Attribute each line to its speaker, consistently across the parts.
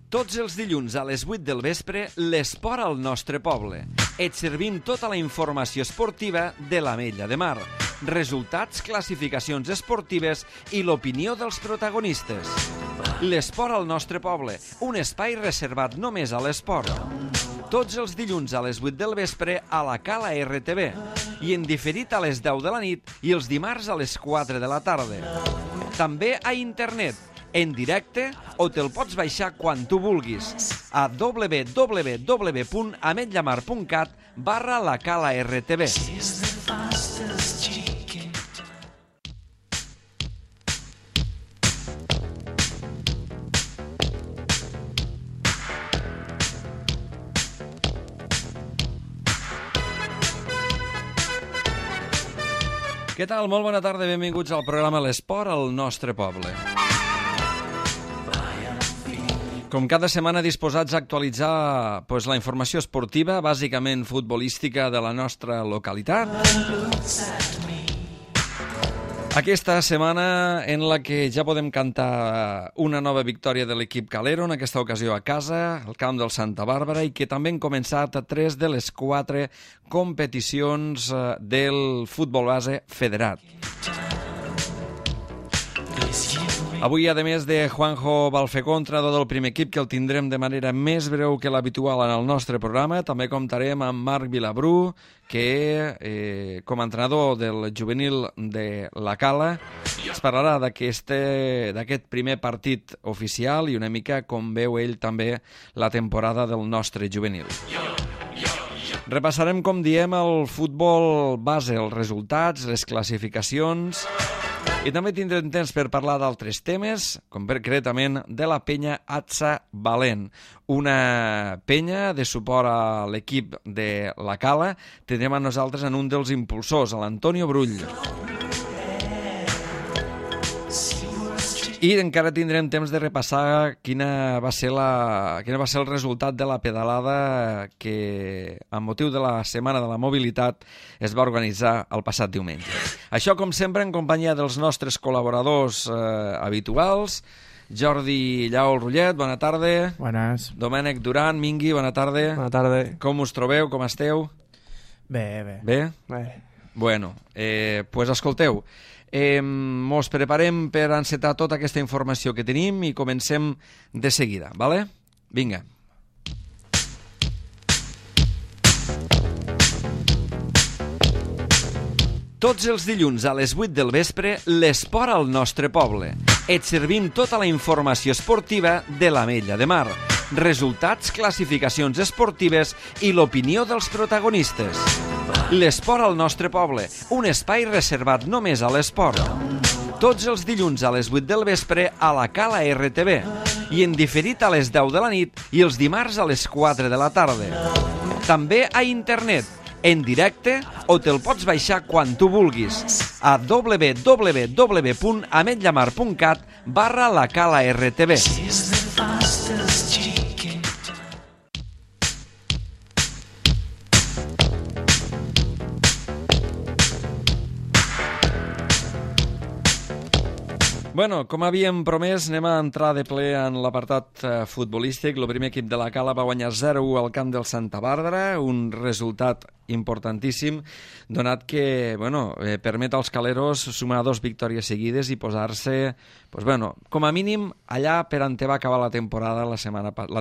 Speaker 1: Tots els dilluns a les 8 del vespre, l'esport al nostre poble. Et servim tota la informació esportiva de l'Ametlla de Mar. Resultats, classificacions esportives i l'opinió dels protagonistes. L'esport al nostre poble, un espai reservat només a l'esport. Tots els dilluns a les 8 del vespre a la Cala RTV i en diferit a les 10 de la nit i els dimarts a les 4 de la tarda. També a internet, en directe o te'l pots baixar quan tu vulguis a www.ametllamar.cat/la Cala RTV. Què tal? Molt bona tarda, benvinguts al programa L'Esport al nostre poble. Com cada setmana disposats a actualitzar la informació esportiva, bàsicament futbolística de la nostra localitat. Aquesta setmana en la que ja podem cantar una nova victòria de l'equip calero, en aquesta ocasió a casa, al camp del Santa Bàrbara, i que també han començat 3 de les 4 competicions del futbol base federat. Avui, a més de Juanjo Balfecó, entrenador del primer equip, que el tindrem de manera més breu que l'habitual en el nostre programa, també comptarem amb Marc Vilabrú, que com a entrenador del juvenil de la Cala es parlarà d'aquest primer partit oficial i una mica com veu ell també la temporada del nostre juvenil. Repassarem, com diem, el futbol base, els resultats, les classificacions, i també tindrem temps per parlar d'altres temes, concretament de la penya Atsa Valent, una penya de suport a l'equip de la Cala. Tindrem a nosaltres en un dels impulsors, l'Antonio Brull. I encara tindrem temps de repassar quin va ser el resultat de la pedalada que, amb motiu de la Setmana de la Mobilitat, es va organitzar el passat diumenge. Això, com sempre, en companyia dels nostres col·laboradors habituals. Jordi Llaol Rullet, bona tarda.
Speaker 2: Buenas.
Speaker 1: Domènec Duran, Mingui, bona tarda.
Speaker 2: Bona tarda.
Speaker 1: Com us trobeu, com esteu?
Speaker 2: Bé.
Speaker 1: Bé?
Speaker 2: Bé.
Speaker 1: Bueno, pues escolteu, mos preparem per encetar tota aquesta informació que tenim i comencem de seguida, vale? Vinga. Tots els dilluns a les 8 del vespre, l'esport al nostre poble. Et servim tota la informació esportiva de l'Ametlla de Mar. Resultats, classificacions esportives i l'opinió dels protagonistes. L'esport al nostre poble, un espai reservat només a l'esport. Tots els dilluns a les 8 del vespre a la Cala RTV i en diferit a les 10 de la nit i els dimarts a les 4 de la tarda. També a internet, en directe o te'l pots baixar quan tu vulguis a www.ametllamar.cat/la Cala RTV. Bueno, com havíem promès, anem a entrar de ple en l'apartat futbolístic. El primer equip de la Cala va guanyar 0-1 al camp del Santa Bàrbara, un resultat importantíssim, donat que permet als caleros sumar 2 victòries seguides i posar-se, com a mínim, allà per on va acabar la temporada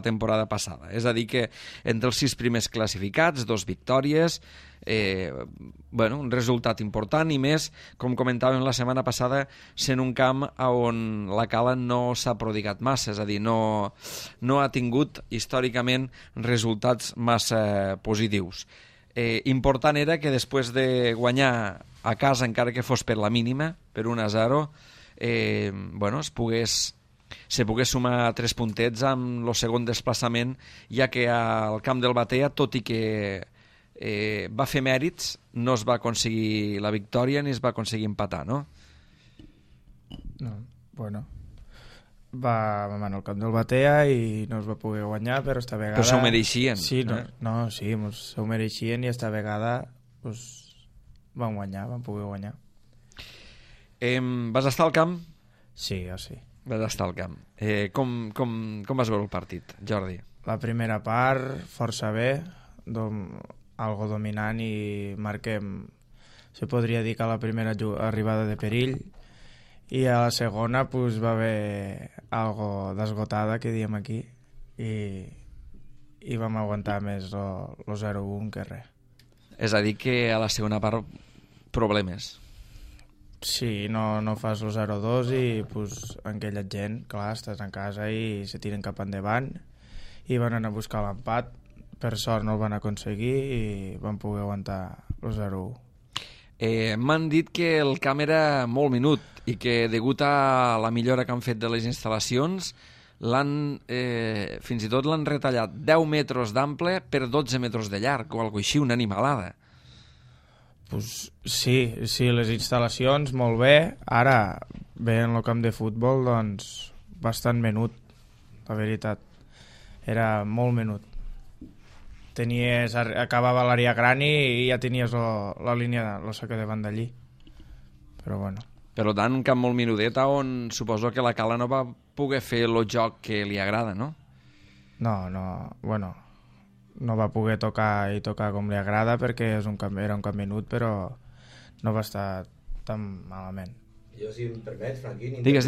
Speaker 1: temporada passada. És a dir, que entre els 6 primers classificats, 2 victòries, un resultat important, i més, com comentàvem la setmana passada, sent un camp on la Cala no s'ha prodigat massa, és a dir, no ha tingut històricament resultats massa positius. Important era que després de guanyar a casa, encara que fos per la mínima, per 1-0, se pogués sumar 3 puntets amb el segon desplaçament, ja que al camp del Batea, tot i que va fer mèrits, no es va aconseguir la victòria ni es va aconseguir empatar, no?
Speaker 2: No, va al camp del Batea i no es va poder guanyar, però esta vegada...
Speaker 1: Però s'ho mereixien.
Speaker 2: Sí, s'ho mereixien i esta vegada van poder guanyar.
Speaker 1: Vas estar al camp?
Speaker 2: Sí, jo sí.
Speaker 1: Vas estar al camp. Com vas veure el partit, Jordi?
Speaker 2: La primera part, força bé, algo dominant i marquem, se podria dir que a la primera arribada de perill, i a la segona pues, va haver algo d'esgotada, que diem aquí, i vam aguantar més el 0-1 que res.
Speaker 1: És a dir, que a la segona part problemes.
Speaker 2: Sí, no fas el 0-2 i pues, aquella gent, clar, estàs en casa i se tiren cap endavant i van anar a buscar l'empat. Per sort no el van aconseguir i van poder aguantar el 0-1.
Speaker 1: M'han dit que el camp era molt minut i que degut a la millora que han fet de les instal·lacions fins i tot l'han retallat 10 metres d'ample per 12 metres de llarg o alguna així, una animalada.
Speaker 2: Pues sí, les instal·lacions molt bé. Ara, veient el camp de futbol, doncs bastant menut, la veritat. Era molt menut. Acabava l'àrea gran i ja tenies la línia, la saca de banda allí. Però bueno.
Speaker 1: Per tant, un camp molt menudet on suposo que la Cala no va poder fer el joc que li agrada, no?
Speaker 2: No va poder tocar com li agrada perquè era un camp menut, però no va estar tan malament.
Speaker 3: Jo, si em permets, Franquín,
Speaker 1: digues.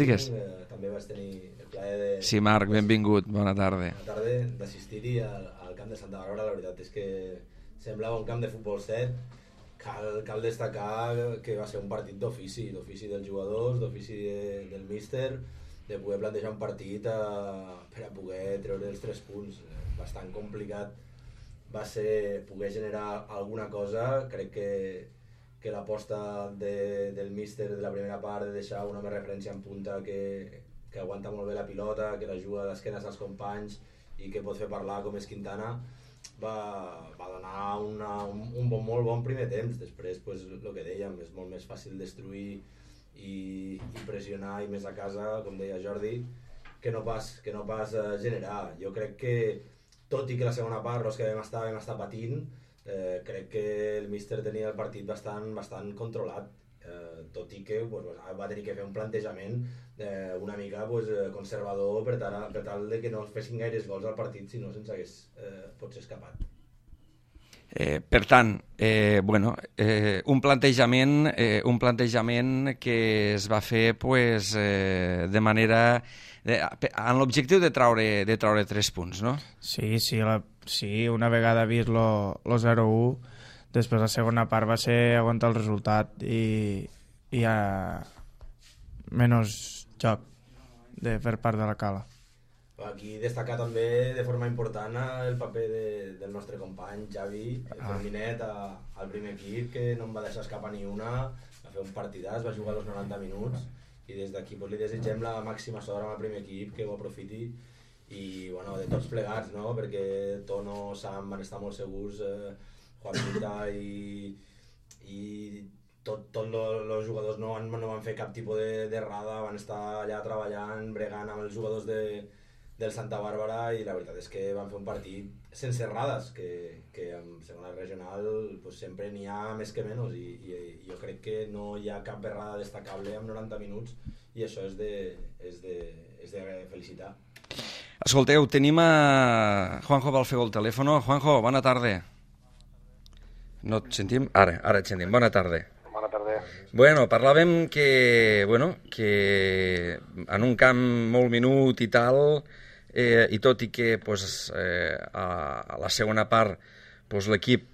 Speaker 3: També vas tenir el plaer de...
Speaker 1: Sí, Marc, benvingut, bona tarda.
Speaker 3: Bona tarda, d'assistir-hi al camp de Santa Bàrbara. La veritat és que semblava un camp de futbol set. Cal destacar que va ser un partit d'ofici dels jugadors, d'ofici del míster, de poder plantejar un partit per a poder treure els 3 punts. Bastant complicat va ser poder generar alguna cosa. Crec que l'aposta del míster de la primera part de deixar una més referència en punta que aguanta molt bé la pilota, que la juga a l'esquena als companys i que pot fer parlar com és Quintana, va donar un molt bon primer temps. Després, pues, el que dèiem, és molt més fàcil destruir i pressionar i més a casa, com deia Jordi, que no pas generar. Jo crec que, tot i que la segona part els que vam estar patint, crec que el míster tenia el partit bastant controlat, tot i que va tenir que fer un plantejament una mica conservador per tal de que no fessin gaires gols al partit, si no se'ns hagués potser escapat.
Speaker 1: Per tant, un plantejament que es va fer de manera amb l'objectiu de treure 3 punts, no?
Speaker 2: Sí, una vegada vist lo 0-1, després la segona part va ser aguantar el resultat i menys joc per part de la Cala.
Speaker 3: Aquí destacar també de forma important el paper del nostre company Javi Ferminet al primer equip, que no em va deixar escapar ni una, va fer un partidàs, va jugar els 90 minuts i des d'aquí li desitgem la màxima sort amb el primer equip, que ho aprofiti i de tots plegats, no? Perquè Tono, Sam van estar molt segurs, Juan Mita i tots els jugadors no van fer cap tipus d'errada, van estar allà treballant, bregant amb els jugadors del Santa Bàrbara i la veritat és que van fer un partit sense errades, que en segona regional sempre n'hi ha més que menys i jo crec que no hi ha cap errada destacable en 90 minuts i això és de felicitar.
Speaker 1: Escolteu, tenim a Juanjo Balfeu al telèfon. Juanjo, bona tarda. No et sentim? Ara et sentim. Bona tarda.
Speaker 4: Bona tarda.
Speaker 1: Bueno, parlàvem que en un camp molt minut i tal, i tot i que a la segona part l'equip,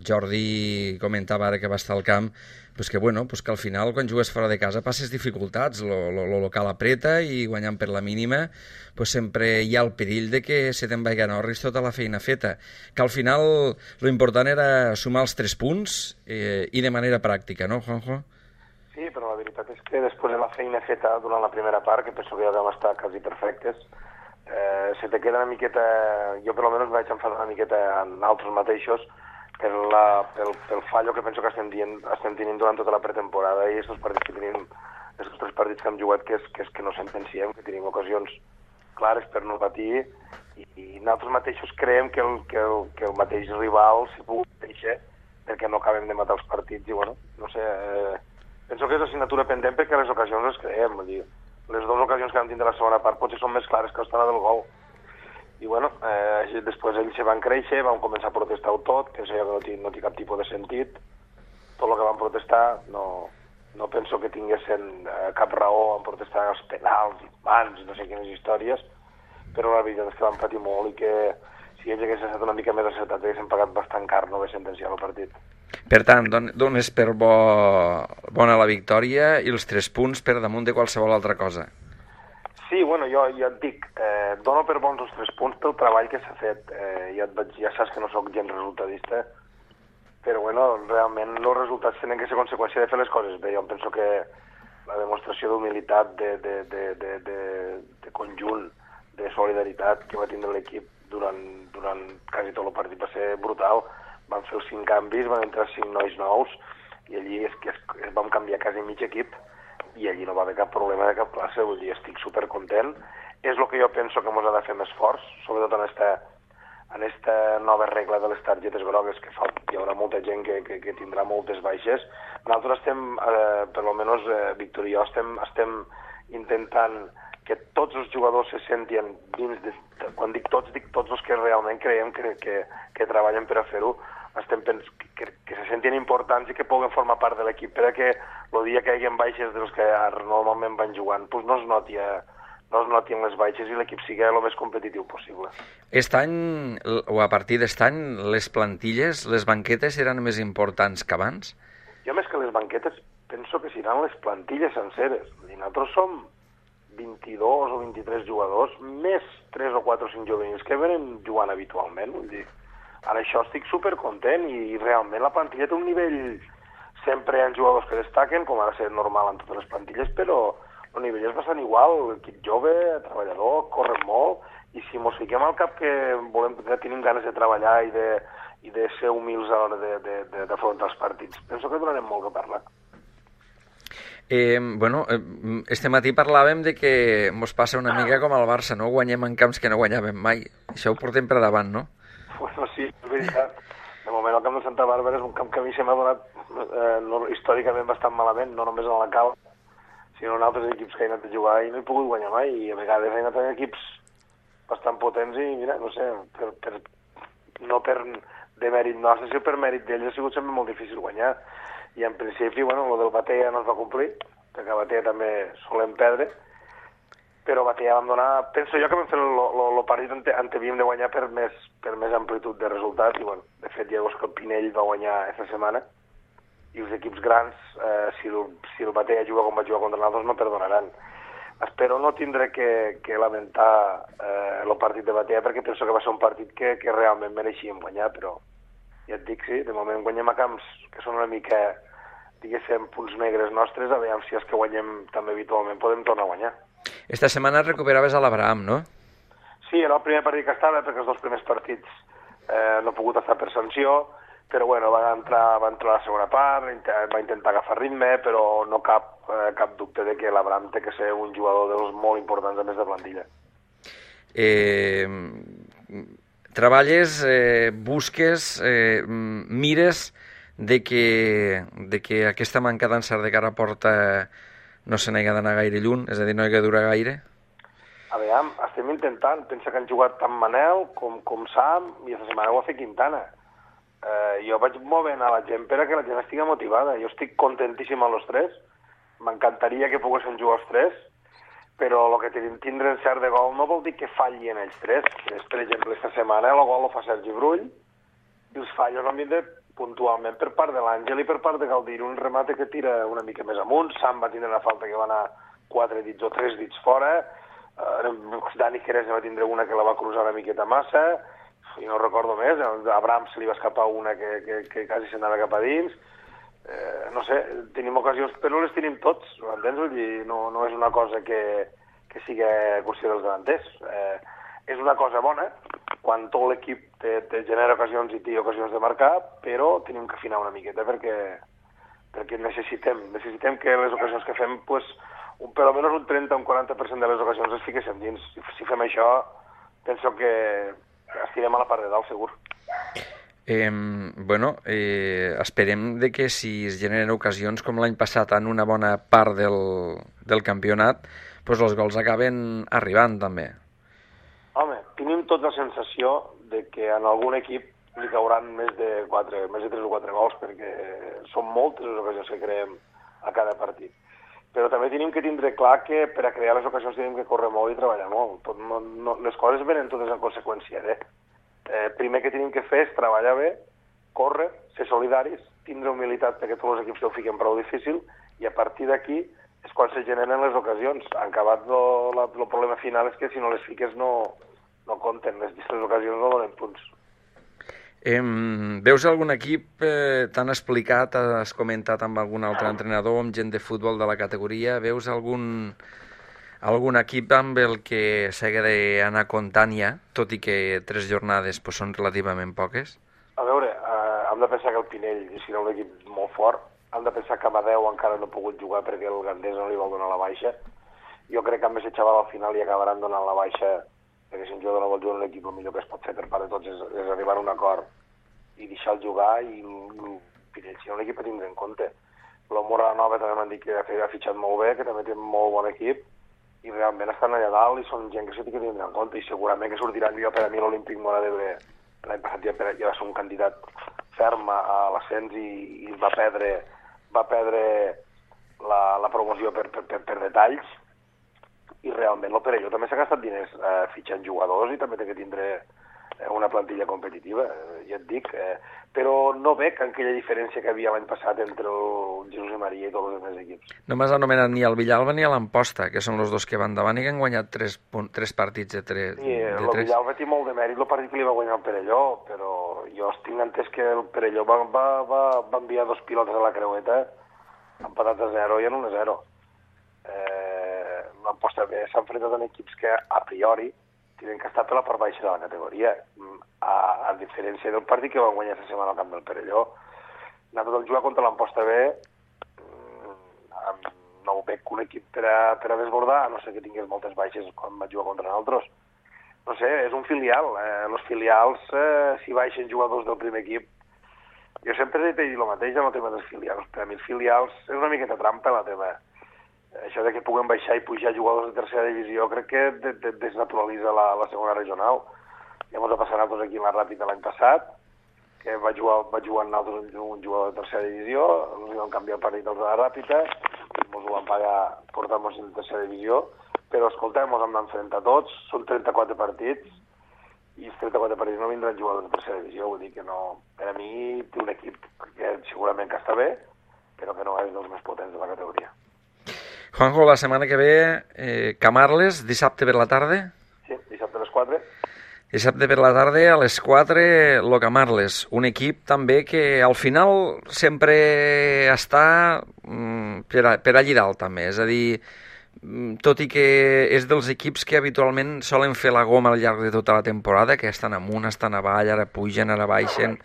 Speaker 1: Jordi comentava ara que va estar al camp, que al final quan jugues fora de casa passes dificultats, lo local apreta i guanyant per la mínima sempre hi ha el perill de que se te'n vagi a Norris tota la feina feta, que al final lo important era sumar els 3 punts i de manera pràctica, no, Juanjo?
Speaker 4: Sí, però la veritat és que després de la feina feta durant la primera part, que penso que ja vam estar quasi perfectes, se te queda una miqueta, jo per almenys vaig enfadar una miqueta en altres mateixos pel fallo que penso que estem tenint durant tota la pretemporada i aquests partits que tenim, aquests 3 partits que hem jugat que no sentenciem, que tenim ocasions clares per no patir i nosaltres mateixos creiem que el mateix rival s'hi pugui deixar perquè no acabem de matar els partits i no sé, penso que és assignatura pendent perquè les ocasions les creem, vull dir, Les dues ocasions que vam tindre la segona part potser són més clares que l'estona del gol. I bueno, després ells se van créixer, van començar a protestar-ho tot, penso jo que no té cap tipus de sentit. Tot el que van protestar no penso que tinguessin cap raó en protestar els penals, mans, no sé quines històries, però la veritat és que van patir molt i que si ells haguessin estat una mica més acertats haguessin pagat bastant car no haver sentenciat el partit.
Speaker 1: Per tant, dones per bona la victòria i els 3 punts per damunt de qualsevol altra cosa.
Speaker 4: Sí, bueno, jo et dic, dono per bons els 3 punts pel treball que s'ha fet. Ja saps que no sóc gens resultadista, però bueno, realment els resultats tenen que ser conseqüència de fer les coses bé. Jo penso que la demostració d'humilitat, de conjunt, de solidaritat que va tindre l'equip durant quasi tot el partit va ser brutal. Van fer els 5 canvis, van entrar 5 nois nous i allí vam canviar quasi mig equip i allí no va haver cap problema de cap classe, vull dir, estic supercontent. És el que jo penso que ens ha de fer més forts, sobretot en esta nova regla de les targetes grogues, que hi haurà molta gent que tindrà moltes baixes. Nosaltres estem, per almenys Víctor i jo, estem intentant que tots els jugadors se sentin dins quan dic tots els que realment creiem que treballen per a fer-ho, que se sentin importants i que puguen formar part de l'equip, perquè el dia que hi hagi baixes dels que normalment van jugant, doncs no es notin les baixes i l'equip sigui el més competitiu possible.
Speaker 1: Aquest any, o a partir d'aquest any, les plantilles, les banquetes eren més importants que abans?
Speaker 4: Jo més que les banquetes penso que seran les plantilles senceres. Nosaltres som 22 o 23 jugadors, més 3 o 4 o 5 juvenils que venen jugant habitualment, vull dir. Ara això estic supercontent i realment la plantilla té un nivell, sempre hi ha jugadors que destaquen, com ha de ser normal en totes les plantilles, però el nivell és bastant igual, l'equip jove, treballador, corren molt, i si mos fiquem al cap que tenim ganes de treballar i de ser humils a l'hora d'afrontar els partits, penso que donarem molt que parlar.
Speaker 1: Este matí parlàvem de que mos passa una mica com al Barça, no? Guanyem en camps que no guanyàvem mai. Això ho portem per davant, no?
Speaker 4: Bueno, sí, és veritat. De moment el camp de Santa Bàrbara és un camp que a mi se m'ha donat històricament bastant malament, no només en la Cala, sinó en altres equips que he anat a jugar i no he pogut guanyar mai, i a vegades he anat a equips bastant potents i, mira, no sé, no per demèrit nostre, sinó per mèrit d'ells ha sigut sempre molt difícil guanyar. I en principi, bueno, el del Batea no es va complir, perquè a Batea també solem perdre, però a Batea vam donar... Penso jo que vam fer el partit on havíem de guanyar per més amplitud de resultat, i bueno, de fet ja veus que el Pinell va guanyar aquesta setmana, i els equips grans, si el Batea juga com va jugar contra nosaltres, no perdonaran. Espero no tindre que lamentar el partit de Batea, perquè penso que va ser un partit que realment mereixíem guanyar, però ja et dic, sí, de moment guanyem a camps que són una mica, diguéssim, punts negres nostres, a veure si els que guanyem també habitualment podem tornar a guanyar.
Speaker 1: Esta setmana recuperaves a l'Abraham, no?
Speaker 4: Sí, era el primer partit que estava, perquè els 2 primers partits no he pogut estar per sanció, però bueno, va entrar a la segona part, va intentar agafar ritme, però no cap dubte de que l'Abraham té que ser un jugador dels molt importants a més de plantilla.
Speaker 1: Treballes, busques, mires de que aquesta manca d'encert de cara a porta no se n'hi ha d'anar gaire lluny, és a dir, no hi ha de durar gaire?
Speaker 4: A veure, estem intentant. Pensa que han jugat tant Manel com Sam i aquesta setmana ho va fer Quintana. Jo vaig movent a la gent per a que la gent estigui motivada. Jo estic contentíssim amb els 3. M'encantaria que poguessin jugar els 3, però el que tindre encert de gol no vol dir que fallin ells 3. Per exemple, aquesta setmana el gol ho fa Sergi Brull i els fallos han vindre puntualment per part de l'Àngel i per part de Galdir, un remate que tira una mica més amunt. Sam va tindre una falta que va anar 4 dits o 3 dits fora, Dani Jerez va tindre una que la va cruzar una miqueta massa, i no recordo més, a Abraham se li va escapar una que quasi s'anava cap a dins. No sé, tenim ocasions, però les tenim tots, m'entens? Vull dir, no és una cosa que sigui qüestió dels davanters. És una cosa bona, quan tot l'equip te genera ocasions i té ocasions de marcar, però tenim que afinar una miqueta perquè necessitem que les ocasions que fem, pues, per almenys un 30 o un 40% de les ocasions les fiquéssim dins. Si fem això, penso que estirem a la part de dalt, segur.
Speaker 1: Esperem de que si es generen ocasions com l'any passat en una bona part del campionat, doncs els gols acaben arribant també.
Speaker 4: Home, tenim tota la sensació de que en algun equip li cauran més de 3 o 4 gols, perquè són moltes les ocasions que creem a cada partit. Però també tenim que tindre clar que per a crear les ocasions tenim que córrer molt i treballar molt. Les coses venen totes en conseqüència. Primer que tenim que fer és treballar bé, córrer, ser solidaris, tindre humilitat perquè tots els equips ho fiquen prou difícil, i a partir d'aquí és quan se generen les ocasions. En acabat, el problema final és que si no les fiques no compten, les ocasions no donen punts.
Speaker 1: Veus algun equip, t'han explicat, has comentat amb algun altre entrenador, amb gent de futbol de la categoria, veus algun equip amb el que s'hagué d'anar comptant ja, tot i que 3 jornades són relativament poques?
Speaker 4: A veure, hem de pensar que el Pinell serà un equip molt fort, hem de pensar que Amadeu encara no ha pogut jugar perquè el Gandés no li vol donar la baixa. Jo crec que amb aquest xaval al final li acabaran donant la baixa, perquè si un jugador no vol jugar en un equip, el millor que es pot fer per part de tots és arribar a un acord i deixar-lo jugar, i el Pinell serà un equip a tindre en compte. La Moranova també m'han dit que ha fitxat molt bé, que també té molt bon equip, i realment estan allà dalt i són gent que s'ha de tindre en compte, i segurament que sortiran millor. Per a mi l'Olímpic Móra d'Ebre l'any passat ja va ser un candidat ferm a l'ascens i va perdre la promoció per detalls, i realment el Perelló també s'ha gastat diners fitxant jugadors i també té que tindre una plantilla competitiva, ja et dic, però no veig aquella diferència que havia l'any passat entre el Jesús i Maria i tots els altres equips.
Speaker 1: No m'has anomenat ni el Villalba ni l'Amposta, que són els dos que van davant i que han guanyat 3 partits de 3.
Speaker 4: Sí, el Villalba té molt de mèrit el partit que li va guanyar el Perelló, però jo tinc entès que el Perelló va enviar 2 pilotes a la creueta empatat a 0 i en 1-0. L'Amposta s'ha enfrontat en equips que a priori tenen que estar per la part baixa de la categoria, a diferència del partit que van guanyar aquesta setmana al camp del Perelló. Nosaltres jugar contra l'Amposta B no ho veig un equip per a desbordar, a no ser que tingués moltes baixes quan va jugar contra nosaltres. No sé, és un filial. Els filials, si baixen jugadors del primer equip, jo sempre he dit el mateix en el tema dels filials. Per a mi els filials és una miqueta trampa la tema. Això de que puguem baixar i pujar jugadors de tercera divisió crec que desnaturalitza la segona regional. Ja ens va passar a nosaltres aquí en la Ràpida l'any passat, que va jugar amb nosaltres un jugador de tercera divisió, ens van canviar el partit dels de la Ràpida, ens ho van pagar portant-nos en tercera divisió, però escoltem, ens hem d'enfrontar tots, són 34 partits, i els 34 partits no vindran jugadors de tercera divisió, vull dir que no, per a mi té un equip que segurament que està bé, però que no és dels més potents de la categoria.
Speaker 1: Juanjo, la setmana que ve, Camarles, dissabte per la tarda?
Speaker 4: Sí, dissabte a les 4.
Speaker 1: Dissabte per la tarda, a les 4, lo Camarles, un equip també que al final sempre està per allí dalt també, és a dir, tot i que és dels equips que habitualment solen fer la goma al llarg de tota la temporada, que estan amunt, estan avall, ara pugen, ara baixen,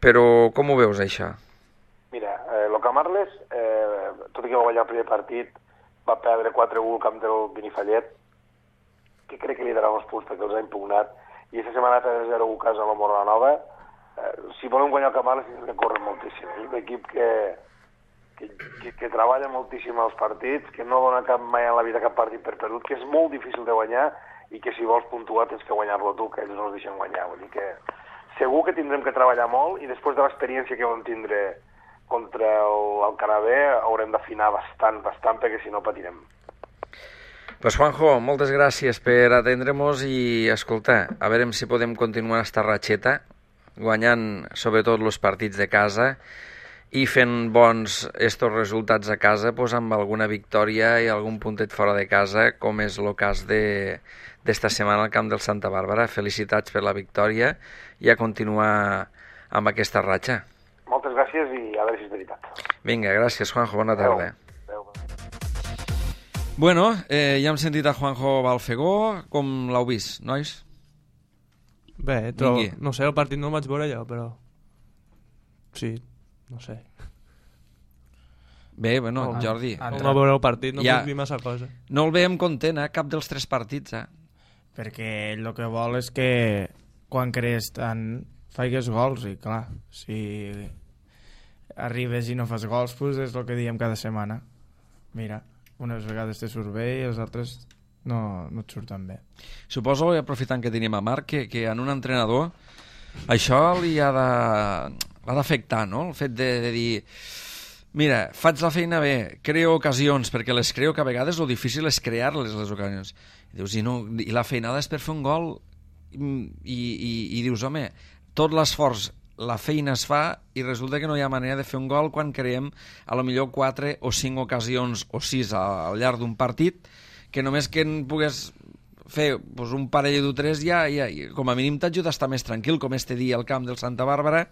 Speaker 1: però com ho veus això?
Speaker 4: Mira, el Camarles, tot i que va guanyar el primer partit, va perdre 4-1 al camp del Benifallet, que crec que li darà uns punts perquè els ha impugnat, i aquesta setmana ha perdre 0-1 a casa a la Moranova. Si volem guanyar el Camarles tenen que córrer moltíssim. És un equip que treballa moltíssim els partits, que no dona mai en la vida cap partit per perdut, que és molt difícil de guanyar i que si vols puntuar tens que guanyar-lo tu, que ells no els deixen guanyar. Vull dir que segur que tindrem que treballar molt, i després de l'experiència que vam tindre contra el Canabé haurem d'afinar bastant, perquè si no patirem.
Speaker 1: Pues Juanjo, moltes gràcies per atendre-nos i, escolta, a veure si podem continuar esta ratxeta, guanyant sobretot els partits de casa i fent bons estos resultats a casa, pues, amb alguna victòria i algun puntet fora de casa, com és el cas d'esta setmana al camp del Santa Bàrbara. Felicitats per la victòria i a continuar amb aquesta ratxa.
Speaker 4: Moltes gràcies i a veure si és veritat.
Speaker 1: Vinga, gràcies, Juanjo, bona tarda.
Speaker 4: Adéu.
Speaker 1: Bueno, ja hem sentit a Juanjo Balfegó. Com l'heu vist, nois?
Speaker 5: Bé, no sé, el partit no el vaig veure jo, però... Sí, no sé.
Speaker 1: Bé, bueno, Jordi...
Speaker 5: No veure el partit, no puc dir massa cosa.
Speaker 1: No el veiem content, cap dels 3 partits,
Speaker 2: Perquè ell el que vol és que quan crees tant faigues gols, i clar, si arribes i no fas gols, pues és el que diem cada setmana. Mira, unes vegades te surt bé i els altres no et surten bé.
Speaker 1: Suposo, aprofitant que tenim a Marc, que en un entrenador això li ha d'afectar, no? El fet de dir, mira, faig la feina bé, creo ocasions, perquè les creo, que a vegades el difícil és crear-les, les ocasions. I dius, i la feinada és per fer un gol, i dius, home, tot l'esforç, la feina es fa i resulta que no hi ha manera de fer un gol quan creem a lo millor 4 o 5 ocasions o 6 al llarg d'un partit, que només que en pugues fer un parell de 3 ja com a mínim t'ajuda a estar més tranquil, com este dia al camp del Santa Bàrbara,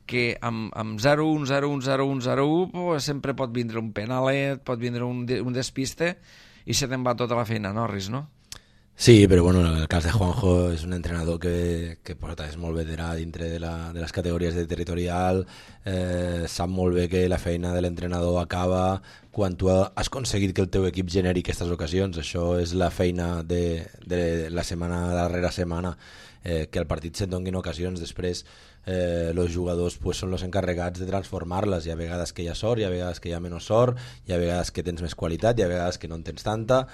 Speaker 1: que amb 0-1, 0-1, 0-1, 0-1 sempre pot vindre un penalet, pot vindre un despiste i se te'n va tota la feina, Norris, no?
Speaker 3: Sí, però bueno, en el cas de Juanjo és un entrenador que és molt veterà dintre de les categories de territorial, sap molt bé que la feina de l'entrenador acaba quan tu has aconseguit que el teu equip generi aquestes ocasions. Això és la feina de la setmana darrere setmana, que el partit se't donguin ocasions. Després els jugadors són els encarregats de transformar-les. Hi ha vegades que hi ha sort, hi ha vegades que hi ha menys sort, hi ha vegades que tens més qualitat, hi ha vegades que no en tens tanta.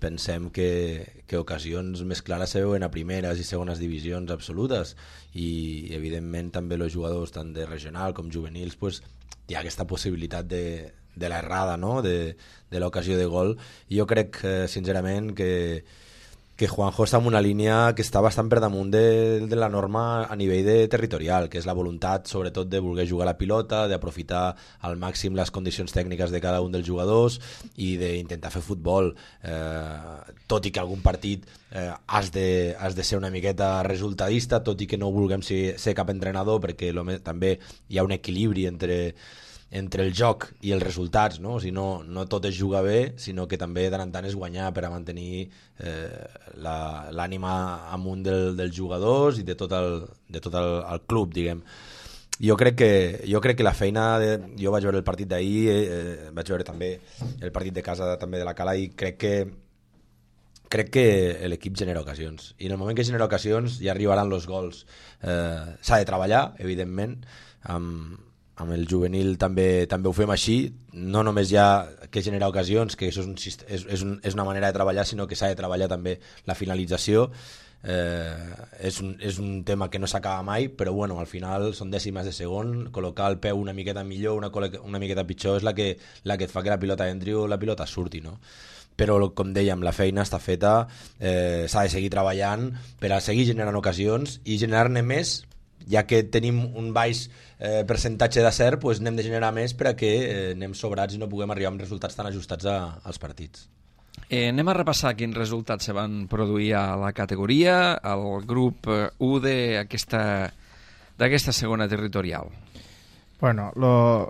Speaker 3: Pensem que ocasions més clares se veuen a primeres i segones divisions absolutes, i evidentment també els jugadors tant de regional com juvenils hi ha aquesta possibilitat de l'errada, no? de l'ocasió de gol. I jo crec sincerament que Juanjo està en una línia que està bastant per damunt de la norma a nivell territorial, que és la voluntat sobretot de voler jugar la pilota, d'aprofitar al màxim les condicions tècniques de cada un dels jugadors i d'intentar fer futbol, tot i que algun partit has de ser una miqueta resultadista, tot i que no vulguem ser cap entrenador, perquè també hi ha un equilibri entre el joc i els resultats, no? O sigui, no tot és jugar bé, sinó que també de tant en tant és guanyar per a mantenir l'ànima amunt dels jugadors i de tot el club, diguem. Jo crec que la feina jo vaig veure el partit d'ahir, vaig veure també el partit de casa també de la Cala, i crec que l'equip genera ocasions, i en el moment que genera ocasions ja arribaran els gols. S'ha de treballar, evidentment, amb el juvenil també ho fem així, no només ja que genera ocasions, que això és una manera de treballar, sinó que s'ha de treballar també la finalització. És un tema que no s'acaba mai, però bueno, al final són dècimes de segon, col·locar el peu una miqueta millor, una miqueta pitjor, és la que et fa que la pilota entri o la pilota surti, no? Però com dèiem, la feina està feta, s'ha de seguir treballant per a seguir generant ocasions i generar-ne més, ja que tenim un baix percentatge d'acert, anem de generar més per a que anem sobrats i no puguem arribar amb resultats tan ajustats als partits.
Speaker 1: Anem a repassar quins resultats se van produir a la categoria, al grup 1 d'aquesta segona territorial.
Speaker 2: Bueno,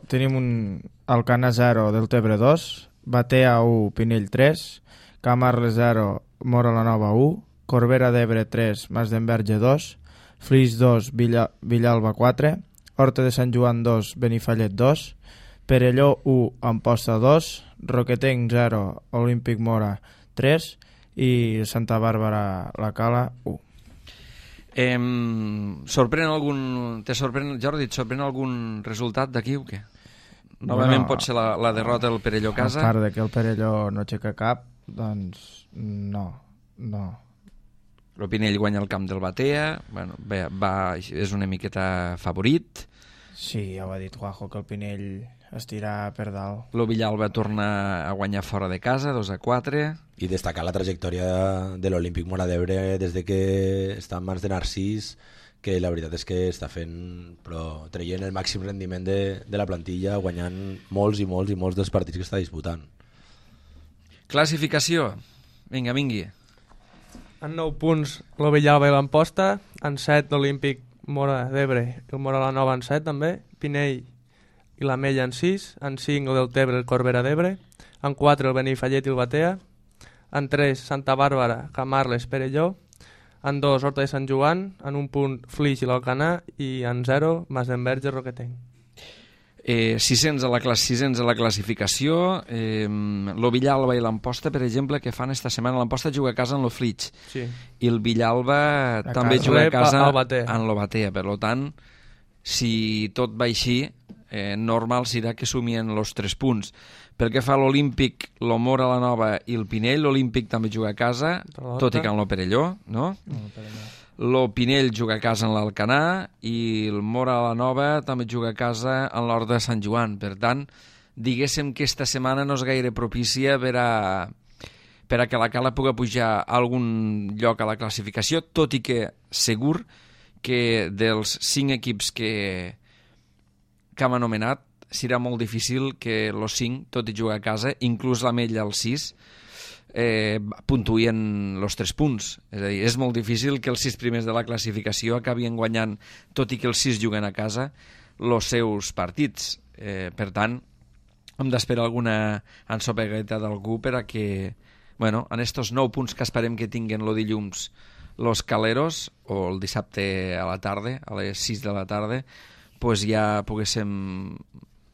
Speaker 2: tenim Alcana 0, Deltebre 2, Batea 1, Pinell 3, Camarles 0, Móra la Nova 1, Corbera d'Ebre 3, Mas d'Enverge 2, Flix 2, Villalba 4, Horta de Sant Joan 2, Benifallet 2, Perelló 1, Amposta 2, Roquetenc 0, Olímpic Mora 3 i Santa Bàrbara la Cala 1.
Speaker 1: Jordi, et sorprèn algun resultat d'aquí o què? Novament pot ser la derrota del Perelló a casa?
Speaker 2: A part de que el Perelló no aixeca cap, doncs no.
Speaker 1: El Pinell guanya el camp del Batea, bueno, és una miqueta favorit.
Speaker 2: Sí, ja ho ha dit Juanjo, que el Pinell es tira per dalt.
Speaker 1: El Villalba torna a guanyar fora de casa, 2-4.
Speaker 3: I destacar la trajectòria de l'Olímpic Mora d'Ebre des de que està en mans de Narcís, que la veritat és que està traient el màxim rendiment de la plantilla, guanyant molts i molts i molts dels partits que està disputant.
Speaker 1: Classificació. Vinga, vingui.
Speaker 5: En 9 punts el Villalba i l'Amposta, en 7 l'Olímpic Mora d'Ebre i el Mora la Nova en 7 també, Pinell i l'Amella en 6, en 5 el Deltebre i el Corbera d'Ebre, en 4 el Benifallet i el Batea, en 3 Santa Bàrbara, Camarles, Perelló, en 2 Horta de Sant Joan, en 1 punt Flix i l'Alcanar i en 0 Mas d'Enverge, Roquetenc.
Speaker 1: 600 a la classificació. Lo Villalba i l'Amposta, per exemple, que fan esta setmana? L'Amposta juga a casa en lo Flix,
Speaker 5: sí.
Speaker 1: I el Villalba també juga a casa en lo Batea. Per tant, si tot va així, normal serà que sumien els 3 punts. Pel que fa a l'Olímpic, l'Omora, la Nova i el Pinell, l'Olímpic també juga a casa, tot i que en l'Operelló, no? L'Opinell juga a casa en l'Alcanar i el Mora la Nova també juga a casa en l'Horta de Sant Joan. Per tant, diguéssim que esta setmana no és gaire propícia per a que la Cala pugui pujar a algun lloc a la classificació, tot i que segur que dels 5 equips que hem anomenat serà molt difícil que els 5, tot i jugar a casa, inclús l'Ametlla al 6, puntuïen els 3 punts. És a dir, és molt difícil que els 6 primers de la classificació acabien guanyant, tot i que els 6 juguen a casa, els seus partits. Per tant, hem d'esperar alguna ensopegueta d'algú per a que, bueno, en estos 9 punts que esperem que tinguen el dilluns los Caleros, o el dissabte a la tarda, a les 6 de la tarda, pues ja poguéssim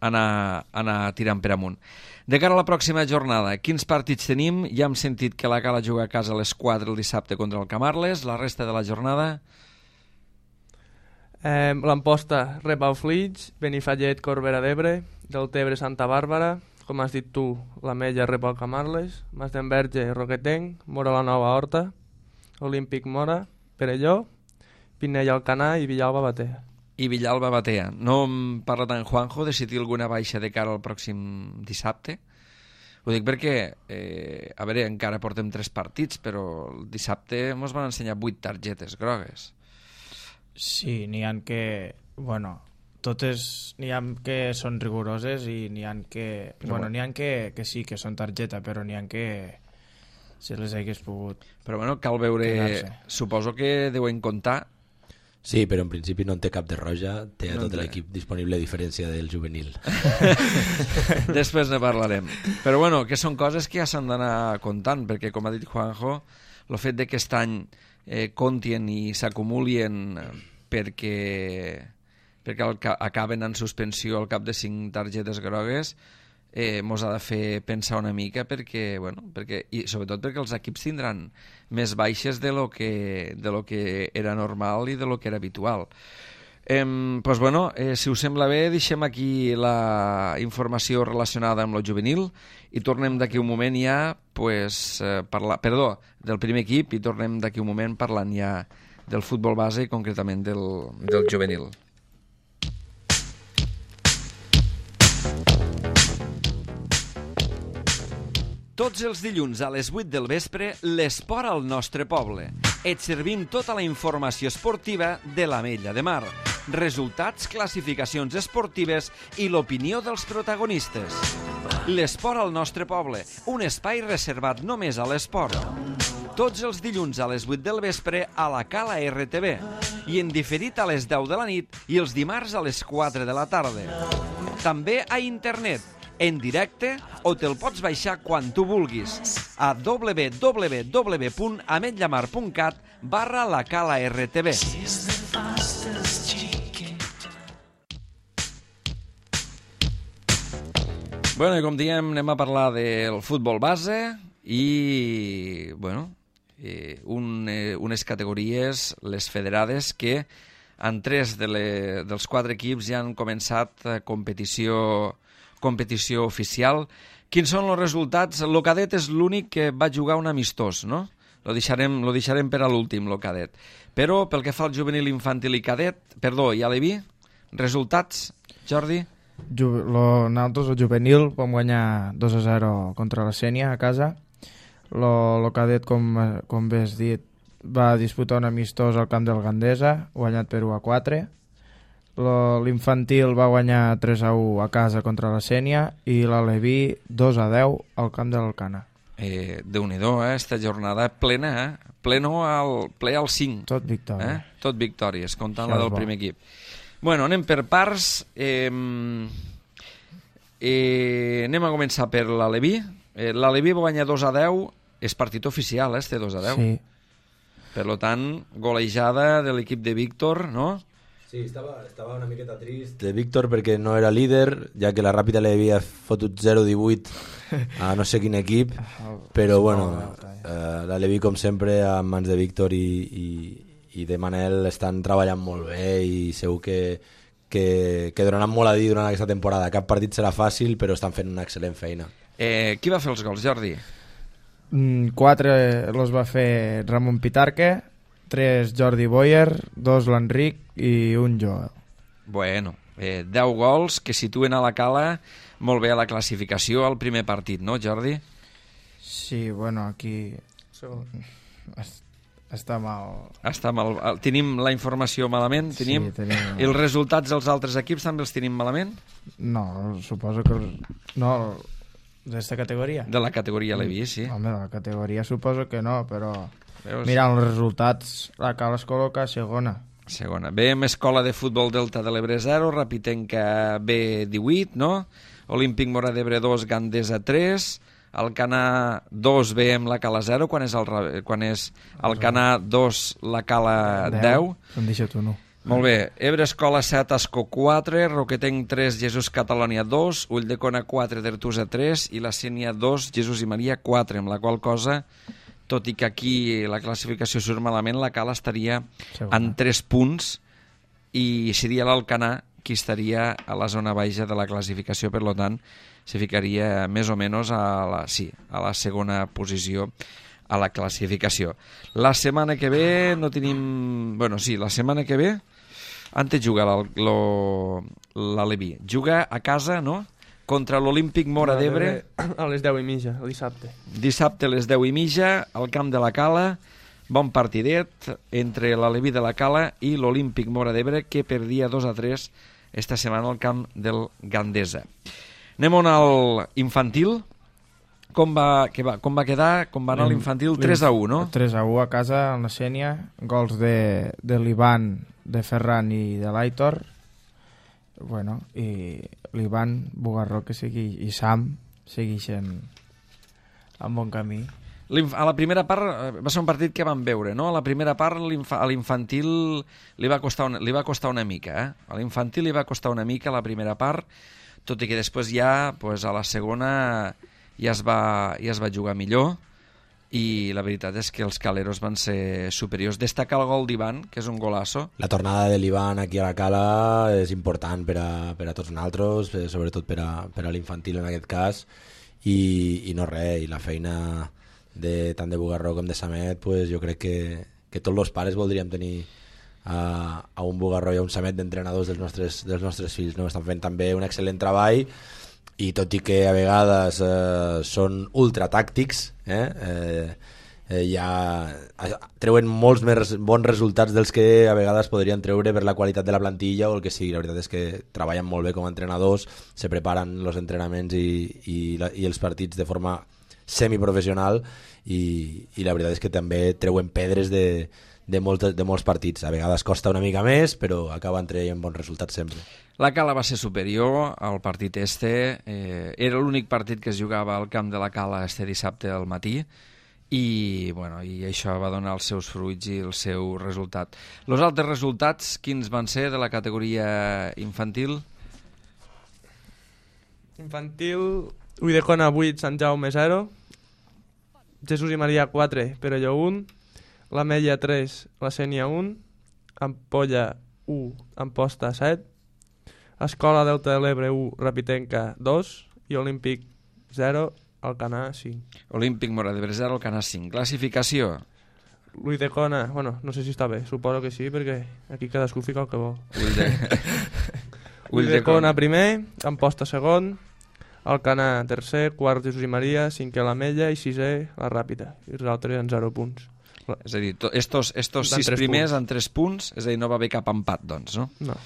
Speaker 1: anar tirant per amunt. De cara a la pròxima jornada, quins partits tenim? Ja hem sentit que la Cala juga a casa a les 4 el dissabte contra el Camarles. La resta de la jornada?
Speaker 5: L'Amposta rep el Flix, Benifallet, Corbera d'Ebre, Deltebre, Santa Bàrbara, com has dit tu, l'Ametlla rep el Camarles, Masdenverge, Roquetenc, Mora la Nova, Horta, Olímpic Mora, Perelló, Pinell, Alcanar i Villalba, Batea.
Speaker 1: I Villalba, Batea. No em parla tant Juanjo de si té alguna baixa de cara al pròxim dissabte? Ho dic perquè, a veure, encara portem 3 partits, però el dissabte ens van ensenyar 8 targetes grogues.
Speaker 2: Sí, n'hi ha que... Bueno, totes n'hi ha que són rigoroses i n'hi ha que... Bueno, n'hi ha que sí, que són targeta, però n'hi ha que se les hagués pogut...
Speaker 1: Però bueno, cal veure...
Speaker 2: quedar-se.
Speaker 1: Suposo que deuen comptar.
Speaker 6: Sí, però en principi no en té cap de roja, té a tot l'equip disponible a diferència del juvenil.
Speaker 1: Després ne parlarem. Però bueno, que són coses que ja s'han d'anar comptant, perquè com ha dit Juanjo, el fet de que aquest any comptien i s'acumulien perquè acaben en suspensió al cap de 5 targetes grogues, mos ha de fer pensar una mica perquè, i sobretot perquè els equips tindran més baixes de lo que era normal i de lo que era habitual. Pues bueno, si us sembla bé, deixem aquí la informació relacionada amb el juvenil i tornem d'aquí un moment ja del primer equip i tornem d'aquí un moment parlant ja del futbol base i concretament del juvenil. Tots els dilluns a les 8 del vespre, l'esport al nostre poble. Et servim tota la informació esportiva de l'Ametlla de Mar, resultats, classificacions esportives i l'opinió dels protagonistes. L'esport al nostre poble, un espai reservat només a l'esport. Tots els dilluns a les 8 del vespre a la Cala RTV i en diferit a les 10 de la nit i els dimarts a les 4 de la tarda. També a internet, en directe, o te'l pots baixar quan tu vulguis a www.ametllamar.cat/lacala-rtv. Bueno, i com diem, anem a parlar del futbol base i, unes categories, les federades, que en 3 dels 4 equips ja han començat competició oficial. Quins són els resultats? El cadet és l'únic que va jugar un amistós, no? Lo deixarem per a l'últim, el cadet. Però pel que fa al juvenil, infantil i i aleví, resultats, Jordi?
Speaker 2: Nosaltres, el juvenil, vam guanyar 2-0 contra la Sénia a casa. El cadet, com bé has dit, va disputar un amistós al camp del Gandesa, guanyat per 1-4. L'infantil va guanyar 3-1 a casa contra la Sénia i l'Aleví 2-10 al camp de l'Alcanar.
Speaker 1: Déu-n'hi-do, esta jornada plena, ple al 5.
Speaker 2: Tot victòria.
Speaker 1: Tot victòries, comptant la del primer equip. Bueno, anem per parts. Anem a començar per l'Aleví. L'Aleví va guanyar 2-10, és partit oficial, este 2-10.
Speaker 2: Sí.
Speaker 1: Per tant, golejada de l'equip de Víctor, no?
Speaker 3: Sí, estava una miqueta trist.
Speaker 6: De Víctor perquè no era líder, ja que la Ràpida li havia fotut 0-18 a no sé quin equip, però bueno, la Levi com sempre en mans de Víctor i de Manel estan treballant molt bé i segur que que donaran molt a dir durant aquesta temporada. Cap partit serà fàcil, però estan fent una excel·lent feina.
Speaker 1: Qui va fer els gols, Jordi?
Speaker 2: 4 los va fer Ramon Pitarque, 3 Jordi Boyer, 2 l'Enric i 1 Joel.
Speaker 1: Bueno, 10 gols que situen a la Cala molt bé a la classificació al primer partit, no, Jordi?
Speaker 2: Sí, bueno, aquí està mal.
Speaker 1: Està mal. Tenim la informació malament? Tenim...
Speaker 2: Sí, tenim...
Speaker 1: I els resultats dels altres equips també els tenim malament?
Speaker 2: No, suposo que... No, d'esta categoria?
Speaker 1: De la categoria Levi, sí.
Speaker 2: Home, de la categoria suposo que no, però...
Speaker 1: Veus?
Speaker 2: Mirant els resultats, la Cala es col·loca a segona.
Speaker 1: Segona. Veiem Escola de Futbol Delta de l'Ebre 0, Rapitenca B 18, no? Olímpic Mora d'Ebre 2, Gandesa 3, Alcanar 2, veiem la Cala 0, quan és Alcanar 2, la Cala 10.
Speaker 2: Em deixa tu, no.
Speaker 1: Molt bé. Ebre Escola 7, Ascó 4, Roquetenc 3, Jesús Catalònia 2, Ulldecona 4, Dertusa 3 i la Sénia 2, Jesús i Maria 4, amb la qual cosa, tot i que aquí la classificació surt malament, la Cala estaria en 3 punts i seria l'Alcanar qui estaria a la zona baixa de la classificació, per tant, se ficaria més o menys a la segona posició a la classificació. La setmana que ve no tenim... Bueno, sí, la setmana que ve antes juga l'Aleví. Juga a casa, no?, contra l'Olímpic Mora d'Ebre.
Speaker 5: A les 10:30, el dissabte.
Speaker 1: Dissabte a les 10:30, al camp de la Cala. Bon partidet entre l'Aleví de la Cala i l'Olímpic Mora d'Ebre, que perdia 2-3 esta setmana al camp del Gandesa. Anem al infantil. Com va quedar? Com va anar l'infantil? 3-1, no?
Speaker 2: 3-1 a casa, en la Sénia. Gols de l'Ivan, de Ferran i de l'Aitor. Bueno, i l'Ivan Bugarró i Sam segueixen en bon camí.
Speaker 1: A la primera part va ser un partit que vam veure, no? A la primera part a l'infantil li va costar una mica, eh? A l'infantil li va costar una mica la primera part, tot i que després ja, pues, a la segona ja es va jugar millor, i la veritat és que els caleros van ser superiors. Destaca el gol d'Ivan, que és un golazo.
Speaker 6: La tornada de l'Ivan aquí a la Cala és important per a tots nosaltres, sobretot per a l'infantil en aquest cas, i no res, i la feina tant de Bugarró com de Samet, pues, jo crec que tots els pares voldríem tenir a un Bugarró i a un Samet d'entrenadors dels nostres fills, no? Estan fent també un excel·lent treball, i tot i que a vegades són ultratàctics, ja treuen molts més bons resultats dels que a vegades podrien treure per la qualitat de la plantilla o el que sigui. La veritat és que treballen molt bé com a entrenadors, se preparen els entrenaments i els partits de forma semiprofessional, i la veritat és que també treuen pedres de molts partits. A vegades costa una mica més, però acaben traient bons resultats sempre.
Speaker 1: La Cala va ser superior al partit era l'únic partit que es jugava al camp de la Cala este dissabte al matí, i això va donar els seus fruits i el seu resultat. Els altres resultats, quins van ser de la categoria infantil?
Speaker 5: Infantil, Ulldecona 8, Sant Jaume 0, Jesús i Maria 4, Perelló 1, la Mella 3, la Sénia 1, Ampolla 1, Amposta 7, Escola Delta de l'Ebre 1, Rapitenca 2 i Olímpic 0, Alcanar 5.
Speaker 1: Olímpic Mora d'Ebre 0, Alcanar 5. Classificació?
Speaker 5: Ulldecona, bueno, no sé si està bé, suposo que sí, perquè aquí cadascú fica el que vol. Ulldecona primer, Amposta segon, Alcanar tercer, quart Jesús i Maria, cinquè la Mella i sisè la Ràpita, i els altres en 0 punts.
Speaker 1: És a dir, estos 6 primers en 3 punts, és a dir, no va haver cap empat, doncs, no?
Speaker 5: No.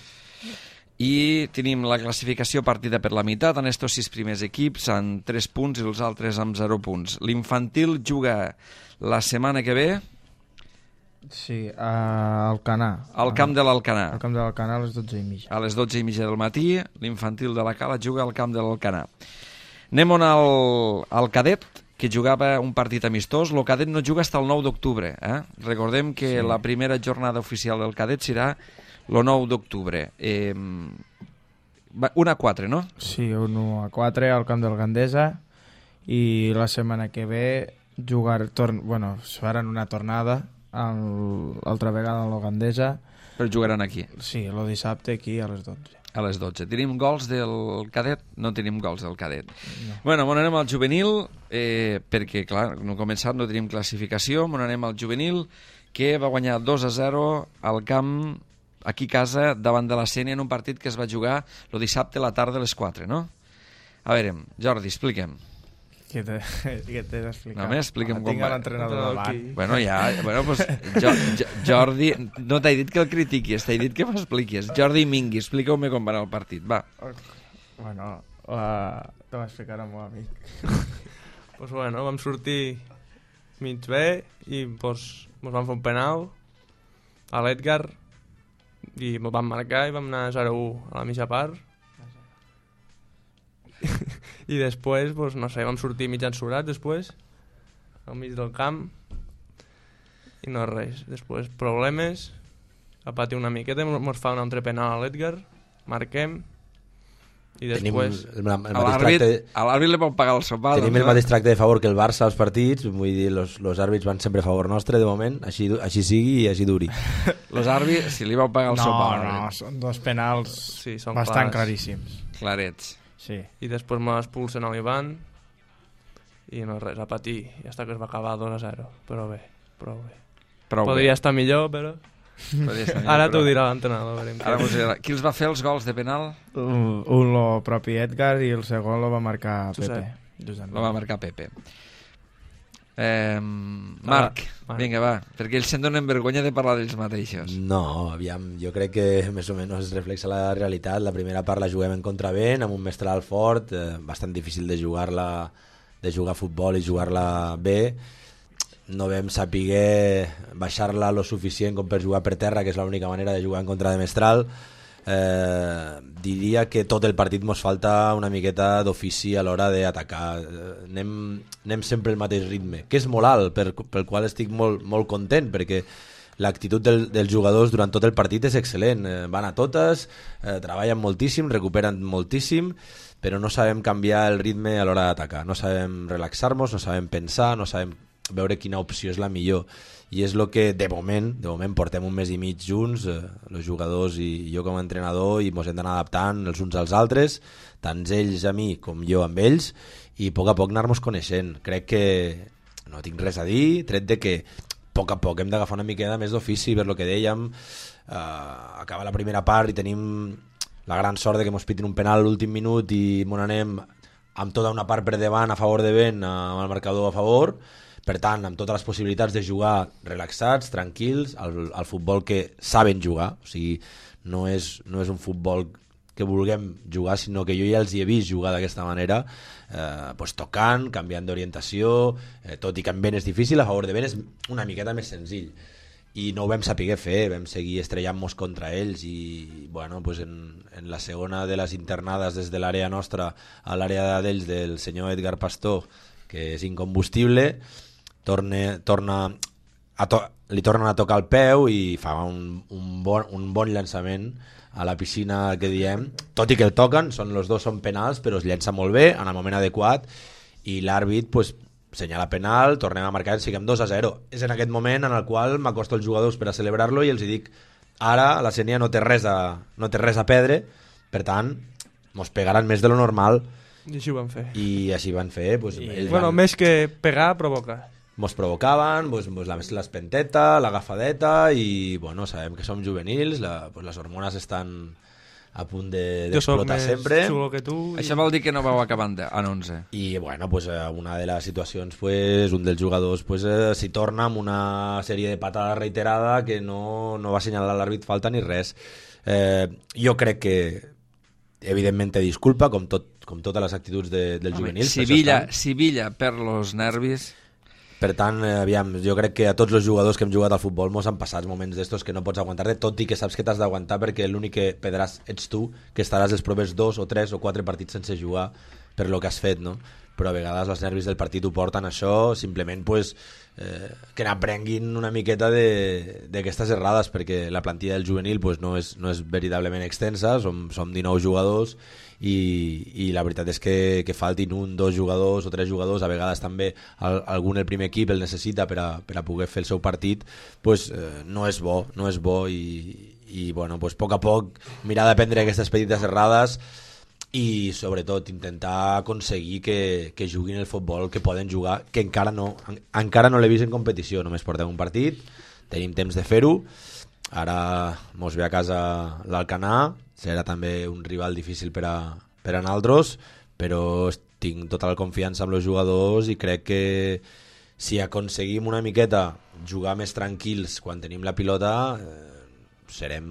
Speaker 1: I tenim la classificació partida per la meitat, en estos 6 primers equips en 3 punts i els altres amb 0 punts. L'infantil juga la setmana que ve...
Speaker 2: Sí, a Alcanar.
Speaker 1: Al camp de l'Alcanar.
Speaker 2: Al camp de l'Alcanar a les 12:30.
Speaker 1: A les 12:30 del matí, l'infantil de la Cala juga al camp de l'Alcanar. Anem al cadet, que jugava un partit amistós. El cadet no juga fins al 9 d'octubre. Recordem que la primera jornada oficial del cadet serà el 9 d'octubre. 1-4, no?
Speaker 2: Sí, 1-4 al camp del Gandesa, i la setmana que ve faran una tornada altra vegada a la Gandesa
Speaker 1: Però jugaran aquí.
Speaker 2: Sí, el dissabte aquí a les 12.
Speaker 1: A les 12. Tenim gols del cadet? No tenim gols del cadet.
Speaker 2: No.
Speaker 1: Bueno, on anem al juvenil, perquè, clar, no hem començat, no tenim classificació, on anem al juvenil, que va guanyar 2-0 al camp, aquí a casa, davant de la Sénia, en un partit que es va jugar el dissabte a la tarda a les 4, no? A veure, Jordi, expliquem.
Speaker 2: Què t'he d'explicar?
Speaker 1: Només explica'm com
Speaker 2: tinc
Speaker 1: va.
Speaker 2: l'entrenador davant.
Speaker 1: Bueno, ja, bueno, pues, Jordi, no t'he dit que el critiquis, t'he dit que m'expliquis. Jordi Mingui, explica-me com va anar el partit, va.
Speaker 2: Bueno, te va explicar el meu amic.
Speaker 5: Pues bueno, vam sortir mig bé i pues, mos vam fer un penal a l'Edgar i mos vam marcar i vam anar 0-1 a la mitja part. I després, pues, no sé, vam sortir mig ensorats després, al mig del camp, i no res. Després, problemes, a patir una miqueta, mos fa un altre penal a l'Edgar, marquem, i després...
Speaker 1: A l'àrbit li pot pagar el sopar.
Speaker 6: Tenim el mateix tracte de favor que el Barça als partits, vull dir, los àrbits van sempre a favor nostre, de moment, així sigui i així duri.
Speaker 1: Los àrbits, si li vau pagar el sopar.
Speaker 2: No, són dos penals
Speaker 5: sí,
Speaker 2: bastant claríssims.
Speaker 1: Clarets.
Speaker 2: Sí.
Speaker 5: I després m'expulsen a l'Ivan i no res, a patir. I hasta que es va acabar 2-0. Però bé, prou bé. Podria estar millor, però... Ara t'ho dirà l'entrenador.
Speaker 1: Qui els va fer els gols de penal?
Speaker 2: Un el propi Edgar i el segon lo va marcar Pepe.
Speaker 1: Lo va marcar Pepe. Marc, vinga, va, perquè ells se'n donen vergonya de parlar d'ells mateixos.
Speaker 6: No, aviam, jo crec que més o menys reflexa la realitat. La primera part la juguem en contravent, amb un mestral fort, bastant difícil de jugar a futbol i jugar-la bé. No vam saber baixar-la lo suficient com per jugar per terra, que és l'única manera de jugar en contra de mestral. Diria que tot el partit mos falta una miqueta d'ofici a l'hora d'atacar. Anem sempre el mateix ritme, que és molt alt, pel qual estic molt content, perquè l'actitud dels jugadors durant tot el partit és excel·lent. Van a totes, treballen moltíssim, recuperen moltíssim, però no sabem canviar el ritme a l'hora d'atacar. No sabem relaxar-nos, no sabem pensar, no sabem veure quina opció és la millor. I és el que de moment portem un mes i mig junts, els jugadors i jo com a entrenador, i ens hem d'anar adaptant els uns als altres, tant ells a mi com jo amb ells, i a poc anar-nos coneixent. Crec que no tinc res a dir, tret de que a poc hem d'agafar una miqueta més d'ofici, per lo que dèiem, acaba la primera part i tenim la gran sort de que ens pitin un penal a l'últim minut i m'on anem amb tota una part per davant a favor de vent, amb el marcador a favor. Per tant, amb totes les possibilitats de jugar relaxats, tranquils, al futbol que saben jugar. O sigui, no és un futbol que vulguem jugar, sinó que jo ja els hi he vist jugar d'aquesta manera, tocant, canviant d'orientació, tot i que en vent és difícil, a favor de vent és una miqueta més senzill. I no ho vam saber fer, vam seguir estrellant-nos contra ells i bueno, en la segona de les internades des de l'àrea nostra a l'àrea d'ells del senyor Edgar Pastor, que és incombustible, li tornen a tocar el peu i fa un bon llançament a la piscina que diem, tot i que el toquen, els dos són penals, però es llença molt bé en el moment adequat i l'àrbit senyala penal, tornem a marcar, siguem 2-0. És en aquest moment en el qual m'acosto als jugadors per a celebrar-lo i els dic, ara la Sénia no té res a perdre, per tant mos pegaran més de lo normal.
Speaker 5: I així ho van fer.
Speaker 6: I així van fer.
Speaker 5: Més que pegar, provocar.
Speaker 6: Mos provocaven, l'espenteta, l'agafadeta i sabem que som juvenils, les hormones estan a punt d'explotar sempre.
Speaker 5: Jo soc més xulo que tu.
Speaker 1: Això vol dir que no vau acabar en 11.
Speaker 6: I una de les situacions, un dels jugadors s'hi torna amb una sèrie de patada reiterada que no va assenyalar l'àrbit falta ni res. Jo crec que evidentment té disculpa, com totes les actituds dels juvenils.
Speaker 1: Sibilla per los nervis.
Speaker 6: Per tant, aviam, jo crec que a tots els jugadors que hem jugat al futbol mos han passat moments d'estos que no pots aguantar-te, tot i que saps que t'has d'aguantar perquè l'únic que perdràs ets tu, que estaràs els propers 2 o 3 o 4 partits sense jugar per lo que has fet, no? Però a vegades els nervis del partit ho porten això, simplement que n'aprenguin una miqueta d'aquestes errades, perquè la plantilla del juvenil no és veritablement extensa, som 19 jugadors i la veritat és que faltin 1, 2 jugadors o 3 jugadors, a vegades també algun el primer equip el necessita per a poder fer el seu partit, no és bo i bueno, pues, a poc a poc mirar de prendre aquestes petites errades i sobretot intentar aconseguir que juguin el futbol que poden jugar, que encara no l'he vist en competició, només portem un partit, tenim temps de fer-ho. Ara mos ve a casa l'Alcanar, serà també un rival difícil per a nosaltres, però tinc tota la confiança amb els jugadors i crec que si aconseguim una miqueta jugar més tranquils quan tenim la pilota, serem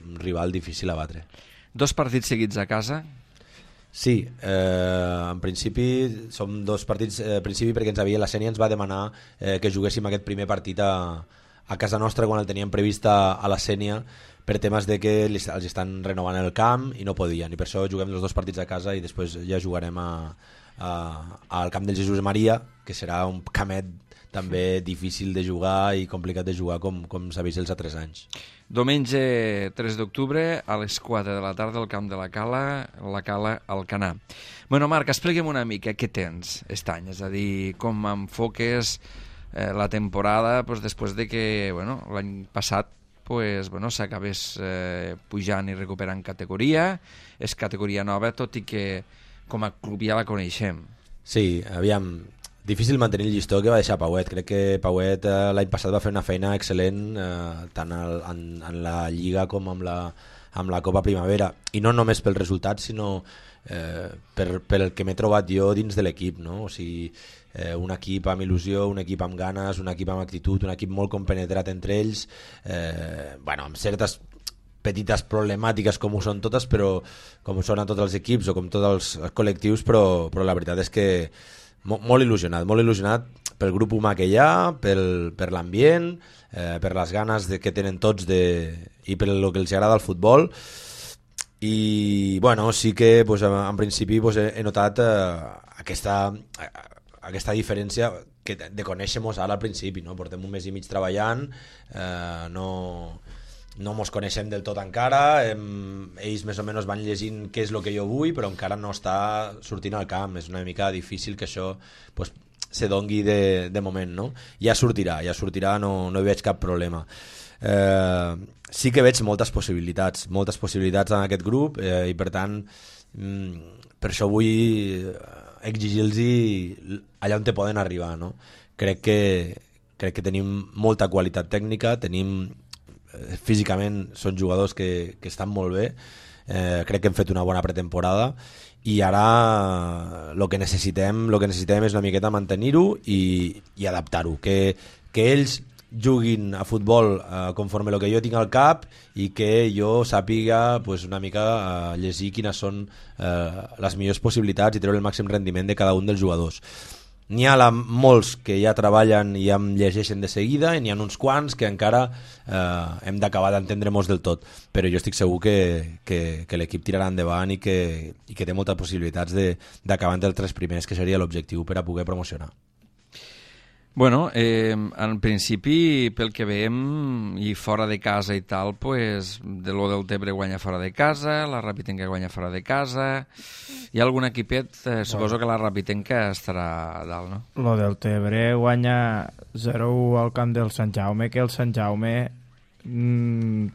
Speaker 6: un rival difícil a batre.
Speaker 1: 2 partits seguits a casa?
Speaker 6: Sí, en principi som 2 partits, principi perquè la Sénia ens va demanar que juguéssim aquest primer partit a casa nostra quan el teníem previst a la Sénia, per temes de que els estan renovant el camp i no podien, i per això juguem els 2 partits a casa i després ja jugarem al camp del Jesús Maria, que serà un camet també difícil de jugar i complicat de jugar com s'ha vist els altres anys.
Speaker 1: Diumenge 3 d'octubre a les 4 de la tarda al camp de la Cala Alcanar. Bueno, Marc, explica'm una mica què tens aquest any, és a dir, com enfoques la temporada després de que l'any passat s'acabés pujant i recuperant categoria. És categoria nova, tot i que com a club ja la coneixem.
Speaker 6: Sí, aviam, difícil mantenir el llistó que va deixar Pauet. Crec que Pauet l'any passat va fer una feina excel·lent tant en la Lliga com amb la Copa Primavera, i no només pel resultat sinó pel que m'he trobat jo dins de l'equip, no? O sigui, un equip amb il·lusió, un equip amb ganes, un equip amb actitud, un equip molt compenetrat entre ells, amb certes petites problemàtiques com ho són totes, però com són a tots els equips o com tots els col·lectius, però la veritat és que molt il·lusionat pel grup humà que hi ha, per l'ambient, per les ganes que tenen tots i per el que els agrada el futbol. I sí que en principi he notat aquesta diferència de conèixer-nos ara al principi, no? Portem un mes i mig treballant, no mos coneixem del tot encara, ells més o menys van llegint què és el que jo vull, però encara no està sortint al camp. És una mica difícil que això se dongui de moment, no? Ja sortirà, no hi veig cap problema. Sí que veig moltes possibilitats en aquest grup, i per tant per això vull exigir-los allà on te poden arribar, no? Crec que tenim molta qualitat tècnica, físicament són jugadors que estan molt bé, crec que hem fet una bona pretemporada i ara el que necessitem és una miqueta mantenir-ho i adaptar-ho, que ells juguin a futbol conforme el que jo tinc al cap i que jo sàpiga una mica llegir quines són les millors possibilitats i treure el màxim rendiment de cada un dels jugadors. N'hi ha molts que ja treballen i em llegeixen de seguida, i n'hi ha uns quants que encara hem d'acabar d'entendre-nos del tot, però jo estic segur que l'equip tirarà endavant i que té moltes possibilitats d'acabar entre els 3 primers, que seria l'objectiu per a poder promocionar.
Speaker 1: Bueno, en principi, pel que veiem, i fora de casa i tal, de lo del Tebre guanya fora de casa, la Rapitenca guanya fora de casa, hi ha algun equipet, suposo que la Rapitenca estarà a dalt, no?
Speaker 2: Lo del Tebre guanya 0-1 al camp del Sant Jaume, que el Sant Jaume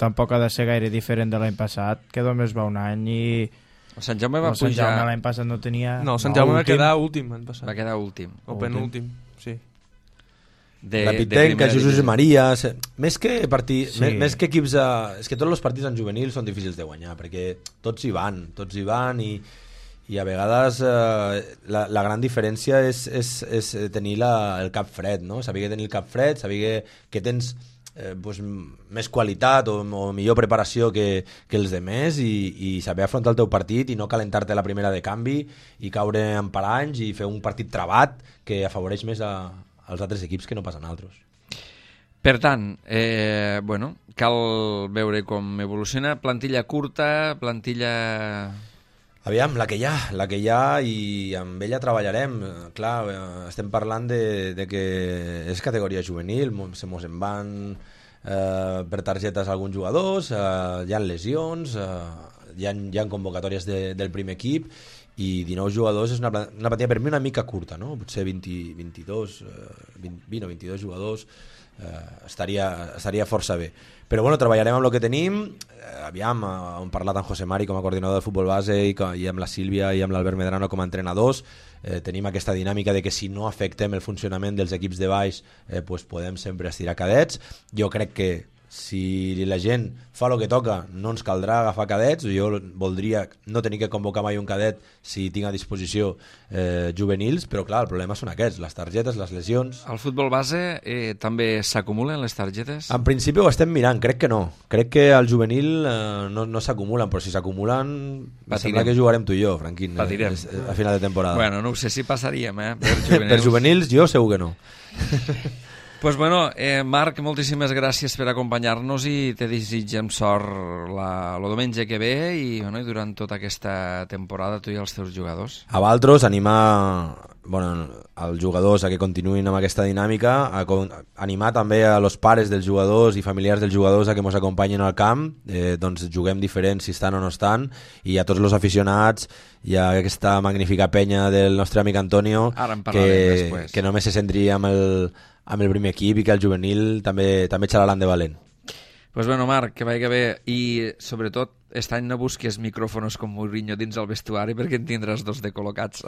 Speaker 2: tampoc ha de ser gaire diferent de l'any passat, que només va un any i...
Speaker 1: El Sant Jaume va pujar...
Speaker 2: El Sant Jaume l'any passat no tenia...
Speaker 5: No, el Sant Jaume va quedar últim l'any passat.
Speaker 1: Va quedar últim.
Speaker 5: O penúltim, sí.
Speaker 6: La Pitenca, Jesús Maria, més que equips és que tots els partits en juvenil són difícils de guanyar perquè tots hi van i a vegades la gran diferència és tenir el cap fred, no? Saber tenir el cap fred, saber que tens més qualitat o millor preparació que els demés i saber afrontar el teu partit i no calentar-te la primera de canvi i caure en paranys i fer un partit trabat que afavoreix més als altres equips que no passen altres.
Speaker 1: Per tant, cal veure com evoluciona. Plantilla curta, plantilla...
Speaker 6: Aviam, la que hi ha i amb ella treballarem. Clar, estem parlant de que és categoria juvenil, se mos en van per targetes alguns jugadors, hi ha lesions, hi ha convocatòries del primer equip i 19 jugadors és una plantilla per mi una mica curta, no? Potser 20 o 22 jugadors estaria força bé. Però bueno, treballarem amb el que tenim. Aviam, hem parlat amb José Mari com a coordinador de futbol base i amb la Sílvia i amb l'Albert Medrano com a entrenadors. Tenim aquesta dinàmica de que si no afectem el funcionament dels equips de baix pues podem sempre estirar cadets. Jo crec que si la gent fa el que toca no ens caldrà agafar cadets. Jo voldria no tenir que convocar mai un cadet si tinc a disposició juvenils, però clar, el problema són aquests, les targetes, les lesions.
Speaker 1: Al futbol base també s'acumulen les targetes?
Speaker 6: En principi ho estem mirant, crec que no. Crec que al juvenil no s'acumulen, però si s'acumulen sembla que jugarem tu i jo, Franquín, a final de temporada.
Speaker 1: Bueno, no ho sé si passaríem,
Speaker 6: per juvenils jo segur que no.
Speaker 1: Pues bueno, Marc, moltíssimes gràcies per acompanyar-nos i te desitgem sort el diumenge que ve i durant tota aquesta temporada, tu i els teus jugadors.
Speaker 6: A vosaltres, animar als jugadors a que continuïn amb aquesta dinàmica, animar també a los pares dels jugadors i familiars dels jugadors a que ens acompanyin al camp, doncs juguem diferents si estan o no estan, i a tots els aficionats i a aquesta magnífica penya del nostre amic Antonio, que només se centri amb el primer equip i que el juvenil també xalaran de valent.
Speaker 1: Pues bueno, Marc, que vagi bé i sobretot aquest any no busques micròfons com Mourinho dins el vestuari perquè en tindràs dos de col·locats.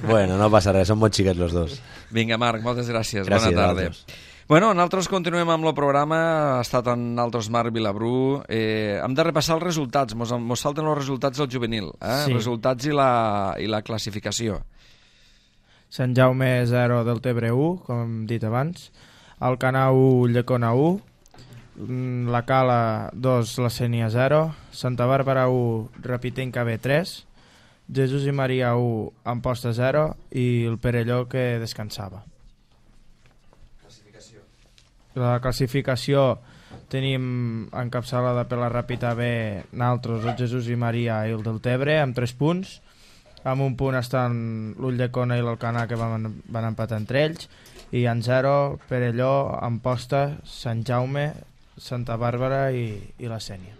Speaker 6: Bueno, no passa res, són molt xiquets los dos.
Speaker 1: Vinga, Marc, moltes gràcies. Bona tarda. Bueno, nosaltres continuem amb el programa. Ha estat en altres Marc Vilabrú. Hem de repassar els resultats. Mos salten els resultats del juvenil. Sí. Resultats i la classificació.
Speaker 2: Sant Jaume 0, Deltebre 1, com hem dit abans. Alcanar 1, Llecona 1. La Cala 2, la Sénia 0. Santa Bàrbara 1, Rapitenca B 3. Jesús i Maria 1, Amposta 0. I el Perelló, que descansava. La classificació tenim encapçalada per la Ràpita B, naltros, el Jesús i Maria i el Deltebre, amb 3 punts. Amb un punt estan l'Ulldecona i l'Alcanar, que van empatar entre ells, i en 0 Perelló, Amposta, Sant Jaume, Santa Bàrbara i la Sénia.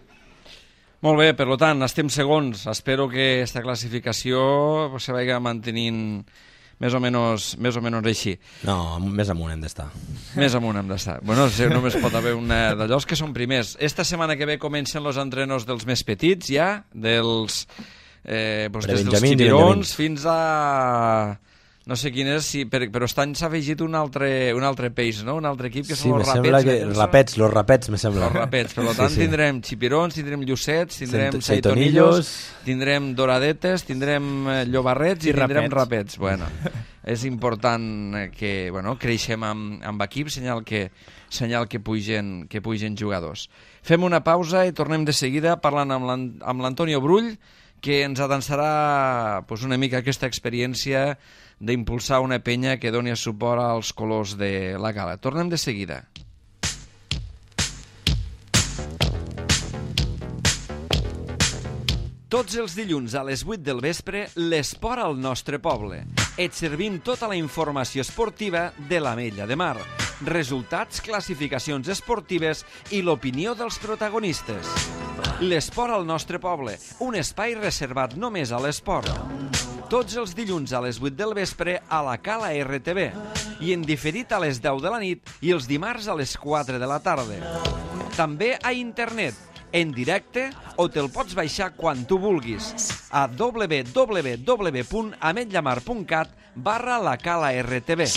Speaker 1: Molt bé, per tant, estem segons. Espero que aquesta classificació se vagi mantenint més o menys així.
Speaker 6: No, més amunt hem d'estar.
Speaker 1: Més amunt hem d'estar. Bueno, només pot haver una d'allò que són primers. Esta setmana que ve comencen els entrenos dels més petits ja, des dels xipirons fins a no sé quin és, però aquest any s'ha afegit un altre peix, no? Un altre equip que són els
Speaker 6: rapets. Los rapets, me sembla.
Speaker 1: Els rapets, per tant tindrem xipirons, tindrem llucets, tindrem seitonillos, tindrem doradetes, tindrem llobarrets i tindrem rapets. Bueno, és important que creixem amb equip, senyal que pugen jugadors. Fem una pausa i tornem de seguida parlant amb l'Antonio Brull, que ens adançarà una mica aquesta experiència d'impulsar una penya que doni suport als colors de la Cala. Tornem de seguida. Tots els dilluns a les 8 del vespre, l'esport al nostre poble. Et servim tota la informació esportiva de l'Ametlla de Mar, resultats, classificacions esportives i l'opinió dels protagonistes. L'esport al nostre poble, un espai reservat només a l'esport. Tots els dilluns a les 8 del vespre a la Cala RTV i en diferit a les 10 de la nit i els dimarts a les 4 de la tarda. També a internet, en directe, o te'l pots baixar quan tu vulguis a www.ametllamar.cat/la Cala RTV.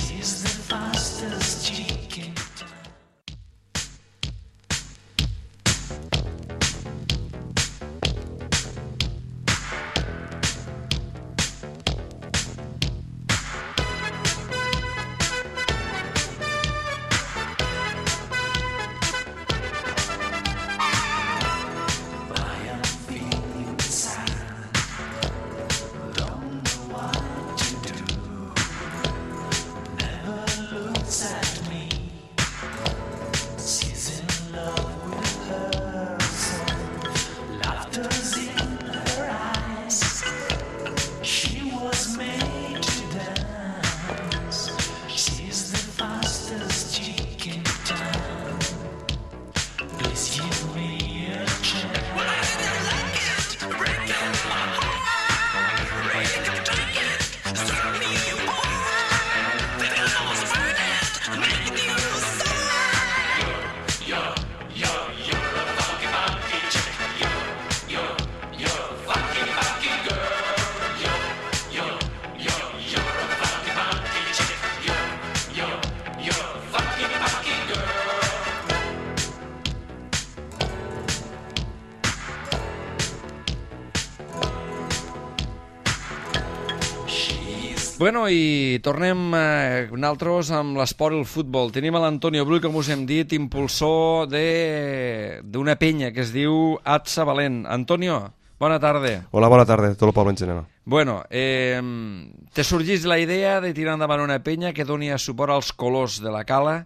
Speaker 1: Bueno, i tornem nosaltres amb l'esport i el futbol. Tenim a l'Antonio Brull, com us hem dit, impulsor d'una penya que es diu Atsa Valent. Antonio, bona tarda.
Speaker 7: Hola, bona tarda, tot el poble en general.
Speaker 1: Bueno, te sorgís la idea de tirar endavant una penya que doni suport als colors de la cala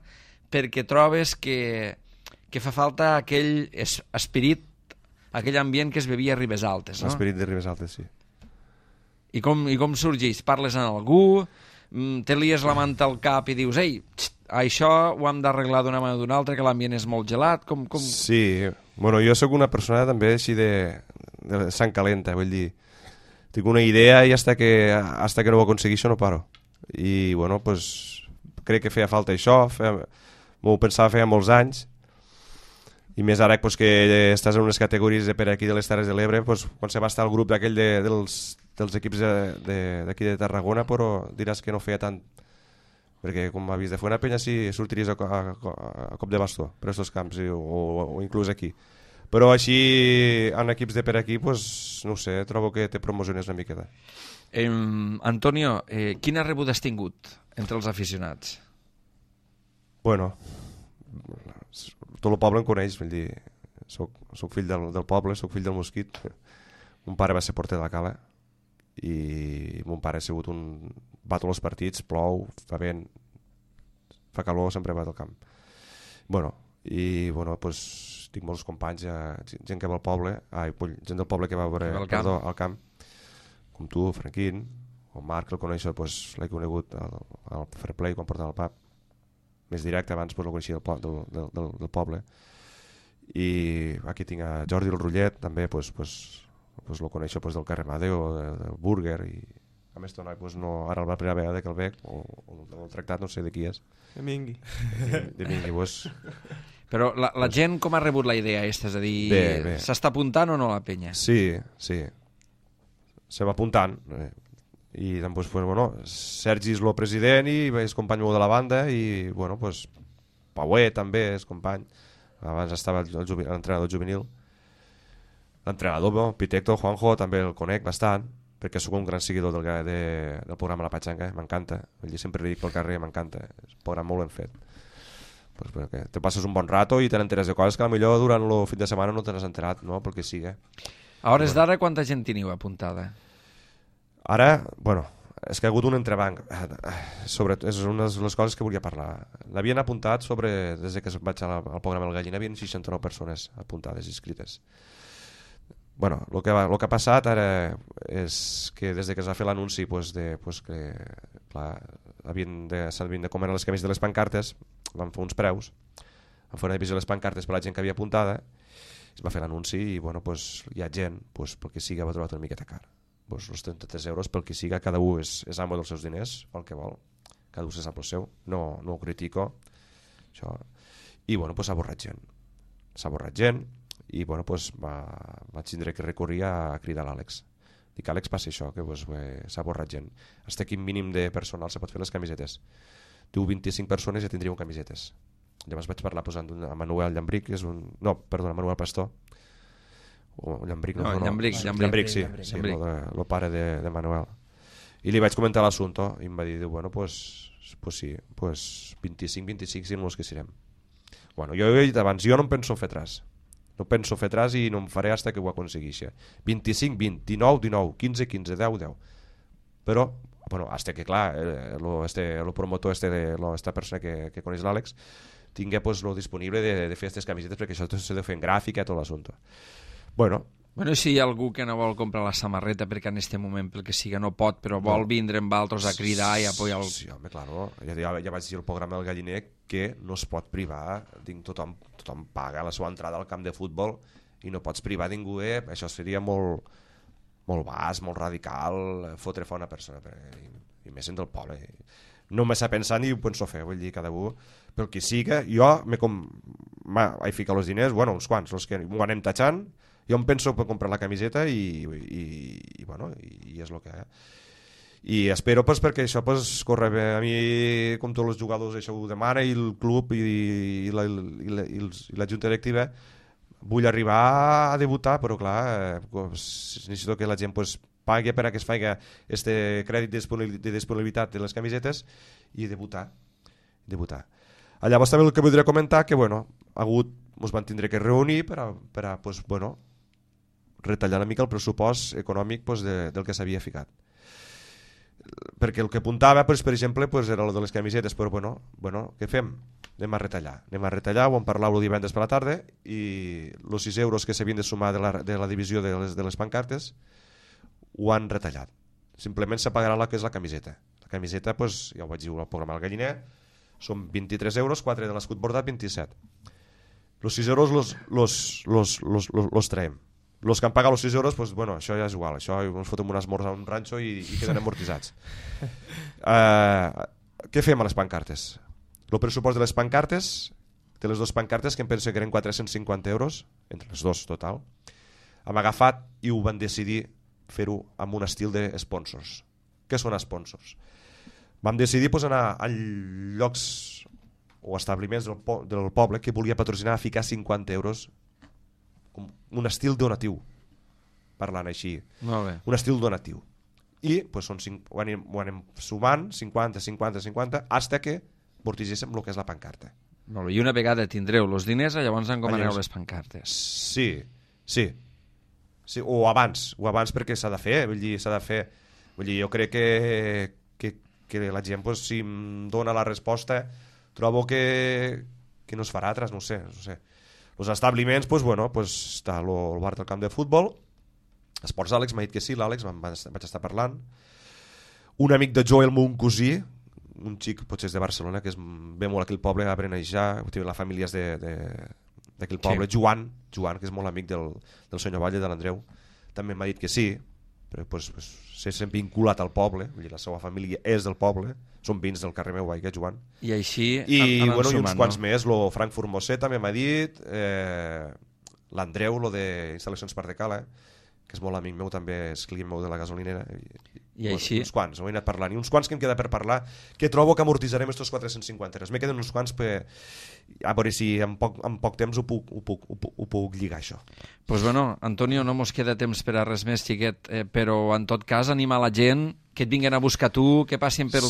Speaker 1: perquè trobes que fa falta aquell esperit, aquell ambient que es bevia a Ribes Altes, no?
Speaker 7: L'esperit de Ribes Altes, sí.
Speaker 1: I com sorgeix? Parles amb algú? Te lies la manta al cap i dius ei, això ho hem d'arreglar d'una manera o d'una altra, que l'ambient és molt gelat?
Speaker 7: Sí, bueno, jo sóc una persona també així de sang calenta, vull dir, tinc una idea i hasta que no ho aconsegueixo no paro. I bueno, pues, crec que feia falta això, m'ho pensava feia molts anys, i més ara pues, que estàs en unes categories per aquí de les Terres de l'Ebre, pues, quan se va estar el grup d'aquell dels equips d'aquí de Tarragona, però diràs que no feia tant, perquè com m'ha vist de fer una penya si sortiries a cop de bastó per aquests camps o inclús aquí, però així en equips de per aquí pues, no sé, trobo que te promociones una miqueta.
Speaker 1: Antonio, quina rebuda has tingut entre els aficionats?
Speaker 7: Bueno, tot el poble em coneix, vull dir, soc fill del poble, soc fill del Mosquit. Mon pare va ser porter de la cala i mon pare ha sigut va a tots els partits, plou, fa vent, fa calor, sempre va al camp. Bueno, pues, tinc molts companys, gent que va al poble, gent del poble que va veure al camp, com tu, Franquín, o Marc, el coneixo, pues, l'he conegut al Fair Play quan portava el pub, més directe, abans pues, el coneixia del poble. I aquí tinc a Jordi el Rullet, també pues, el coneixo pues, del carrer Madeo, del Burger, i a més no, ara la primera vegada que el veig, o el tractat, no sé de qui és.
Speaker 5: De Mingui.
Speaker 7: De Mingui, pues.
Speaker 1: Però la gent com ha rebut la idea aquesta? És a dir, s'està apuntant o no la penya?
Speaker 7: Sí. Se va apuntant. I doncs, pues, bueno, Sergi és el president i és company meu de la banda i bueno, pues, Paué també és company, abans estava l'entrenador juvenil, l'entrenador Pitecto, Juanjo, també el conec bastant perquè sóc un gran seguidor del programa La Patxanga, m'encanta, sempre li dic pel carrer, m'encanta, és un programa molt ben fet, pues, perquè te passes un bon rato i te n'enteres de coses que potser durant el fin de setmana no te n'has enterat, no? Pel que sigui.
Speaker 1: A hores d'ara quanta gent teniu apuntada?
Speaker 7: Ara, bueno, és que ha hagut un entrebanc. És una de les coses que volia parlar. L'havien apuntat des que vaig al programa El Gallina, havien 69 persones apuntades, inscrites. Bueno, el que ha passat ara és que des que es va fer l'anunci que s'havien de comer les camises de les pancartes, van fer uns preus, van fer una divisió de les pancartes per la gent que havia apuntada, es va fer l'anunci i bueno, hi ha gent, pel que sigui, va trobar una miqueta car. Els 33 euros pel que siga, cada un és amo dels seus diners, el que vol, cada un se sap el seu, no ho critico, això. I bueno, s'ha borrat gent i bueno, vaig tindre que recórrer a cridar l'Àlex. Dic, Àlex, passa això, que s'ha borrat gent, hasta quin mínim de personal se pot fer les camisetes. Tu 25 persones ja tindríeu camisetes. Llavors vaig parlar posant a Manuel Llambric, Manuel Pastor, o Llambric, Llambric, sí, el pare de Manuel, i li vaig comentar l'assumpte i em va dir, bueno, pues sí, 25 siguin els que serem. Bueno, jo he dit abans, jo no em penso fer atràs i no em faré hasta que ho aconsegueixi. 25, 20, 19, 15, 15, 10, però bueno, hasta que clar el promotor esta persona que coneix l'Àlex tingui lo disponible de fer aquestes camisetes, perquè això s'ha de fer en gràfica, tot l'assumpte. Bueno,
Speaker 1: si hi ha algú que no vol comprar la samarreta perquè en aquest moment, pel que siga, no pot, però vol vindre amb altres a cridar i apoyar el...
Speaker 7: Sí, home, claro. Ja vaig dir al programa del Galliner que no es pot privar, tothom paga la seva entrada al camp de futbol i no pots privar ningú, això seria molt bas, molt radical, fotre fora una persona, i més en del poble. No m'he pensat ni ho penso fer, vull dir, cada un, pel que siga, jo he ficat els diners, bueno, uns quants, els que m'ho anem tatxant, jo em penso per comprar la camiseta i bueno, i és el que i espero perquè això corre bé. A mi, com tots els jugadors, això ho demana, i el club i la junta directiva, vull arribar a debutar, però clar, necessito que la gent pagui per a que es faci este crèdit de disponibilitat de les camisetes i debutar. Llavors també el que voldria comentar que ens van tindre que reunir per a pues, retallar una mica el pressupost econòmic pues, del que s'havia ficat, perquè el que apuntava pues, per exemple pues, era el de les camisetes, però què fem? Anem a retallar, ho vam parlar el divendres per la tarda i els 6 euros que s'havien de sumar de la divisió de les pancartes ho han retallat, simplement se pagarà el que és la camiseta. La camiseta, pues, ja ho vaig dir al programa del Galliner, són 23 euros, 4 de l'escut bordat, 27. Els 6 euros los traiem. Els que han pagat els 6 euros, pues, això ja és igual, això ens fotem un esmorz a un ranxo i queden amortitzats. Què fem a les pancartes? El pressupost de les pancartes, de les dues pancartes, que em penso que eren 450 euros, entre les dues total, hem agafat i ho van decidir fer-ho amb un estil de sponsors. Què són sponsors? Vam decidir anar a llocs o establiments del poble que volia patrocinar a ficar 50 euros, un estil donatiu, parlant així.
Speaker 1: Molt bé.
Speaker 7: Un estil donatiu. I pues, ho anem sumant, 50, hasta que vortigéssim el que és la pancarta.
Speaker 1: Molt bé. I una vegada tindreu els diners, llavors encomaneu les pancartes.
Speaker 7: Sí, o abans perquè s'ha de fer, jo crec que la gent, pues, si em dona la resposta, trobo que no es farà altres, no sé. Els establiments, està el bar del camp de futbol, Esports Àlex, m'ha dit que sí, l'Àlex, vaig estar parlant. Un amic de Joel, mon cosí, un xic, potser és de Barcelona, que ve molt a aquell poble, a Benejar, la família és d'aquell poble, sí. Joan, que és molt amic del senyor Valle, de l'Andreu, també m'ha dit que sí, però s'ha sempre vinculat al poble, vull dir, la seva família és del poble, són vins del carrer meu, Joan.
Speaker 1: I així
Speaker 7: i uns quants més, lo Frankfurt Mosset també m'ha dit, l'Andreu, lo d'instal·lacions Parc de Cala, que és molt amic meu, també és client meu de la gasolinera,
Speaker 1: i així...
Speaker 7: uns quants, ho he anat parlant, i uns quants que em queda per parlar, que trobo que amortitzarem estos 450 euros. Me queden uns quants a veure si en poc temps ho puc lligar, això.
Speaker 1: Pues Antonio, no mos queda temps per a res més, xiquet, però en tot cas animar la gent que et vinguen a buscar tu, que passin pel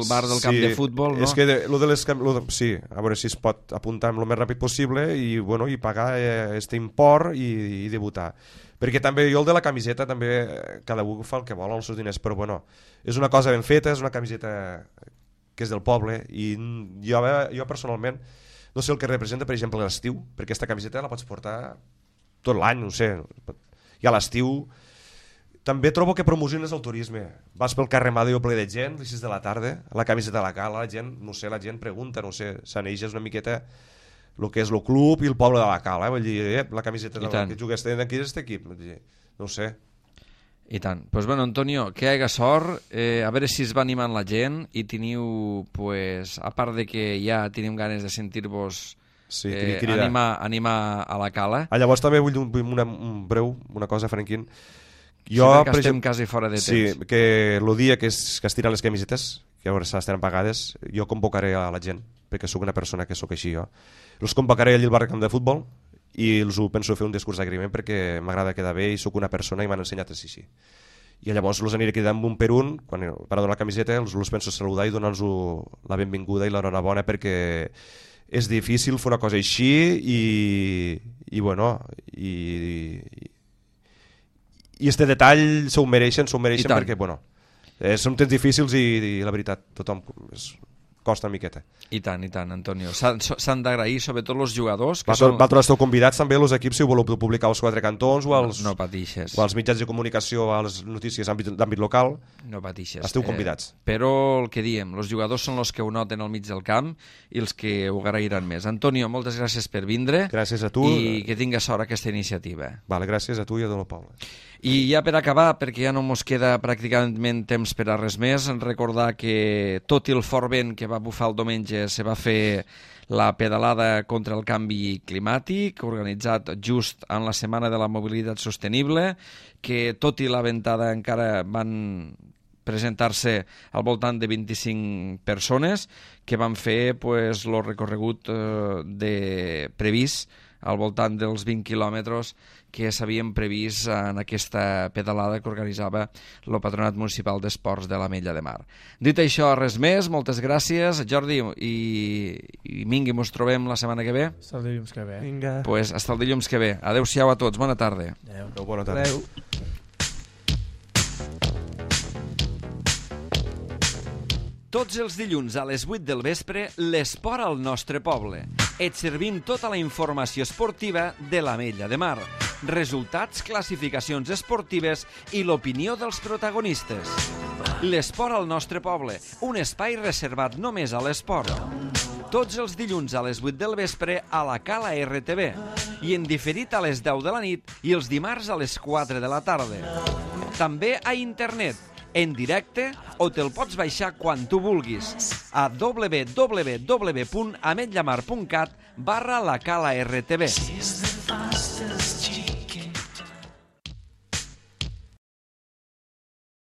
Speaker 1: bar del camp de futbol, no?
Speaker 7: És que sí, a veure si es pot apuntar el més ràpid possible i pagar este import i debutar. Perquè també jo el de la camiseta també cada un fa el que vol amb els seus diners, però és una cosa ben feta, és una camiseta que és del poble i jo personalment no sé el que representa, per exemple, l'estiu, perquè aquesta camiseta la pots portar tot l'any, no sé, i a l'estiu també trobo que promociones el turisme. Vas pel carrer Madeo ple de gent, a les 6 de la tarda, a la camiseta de la Cala, la gent pregunta, s'aneix una miqueta el que és el club i el poble de la Cala, vull dir, la camiseta que jugues d'aquí és equip, no sé.
Speaker 1: I tant. Doncs Antonio, que hi hagi sort, a veure si es va animant la gent i teniu, a part de que ja tenim ganes de sentir-vos animar a la Cala.
Speaker 7: Llavors també vull una cosa, Franquín.
Speaker 1: Perquè estem quasi fora de temps.
Speaker 7: Sí, que el dia que es tiren les camisetes, que ara estaran pagades, jo convocaré a la gent, perquè sóc una persona que sóc així jo. Els convocaré allà al bar camp de futbol i els penso fer un discurs d'agraïment perquè m'agrada quedar bé i sóc una persona i m'han ensenyat així. I llavors els aniré cridant un per un, quan per a donar la camiseta els penso saludar i donar-los la benvinguda i l'enhorabona perquè és difícil fer una cosa així i este detall s'ho mereixen perquè són temps difícils i la veritat tothom costa una miqueta.
Speaker 1: I tant, Antonio. S'han d'agrair sobretot els jugadors.
Speaker 7: Vosaltres esteu convidats també els equips si ho voleu publicar als quatre cantons o als mitjans de comunicació, a les notícies d'àmbit local.
Speaker 1: No patixes.
Speaker 7: Esteu convidats.
Speaker 1: Però el que diem, els jugadors són els que ho noten al mig del camp i els que ho agrairan més. Antonio, moltes gràcies per vindre.
Speaker 7: Gràcies a tu.
Speaker 1: I que tingues sort aquesta iniciativa.
Speaker 7: Vale, gràcies a tu i a tot el poble.
Speaker 1: I ja per acabar, perquè ja no mos queda pràcticament temps per a res més, recordar que tot i el fort vent que va bufar el diumenge se va fer la pedalada contra el canvi climàtic, organitzat just en la Setmana de la Mobilitat Sostenible, que tot i la ventada encara van presentar-se al voltant de 25 persones que van fer el recorregut previst al voltant dels 20 quilòmetres que s'havien previst en aquesta pedalada que organitzava el Patronat Municipal d'Esports de l'Ametlla de Mar. Dit això, res més, moltes gràcies, Jordi, i Mingui, mos trobem la setmana que ve?
Speaker 2: Hasta el dilluns que ve.
Speaker 5: Vinga.
Speaker 1: Pues hasta el dilluns que ve. Adéu-siau a tots, bona tarda.
Speaker 2: Adéu.
Speaker 7: Bona tarda.
Speaker 5: Adéu.
Speaker 1: Tots els dilluns a les 8 del vespre, l'esport al nostre poble. Et servim tota la informació esportiva de l'Ametlla de Mar. Resultats, classificacions esportives i l'opinió dels protagonistes. L'esport al nostre poble, un espai reservat només a l'esport. Tots els dilluns a les 8 del vespre a la Cala RTV i en diferit a les 10 de la nit i els dimarts a les 4 de la tarda. També a internet, en directe o te'l pots baixar quan tu vulguis a www.ametllamar.cat/la Cala RTV.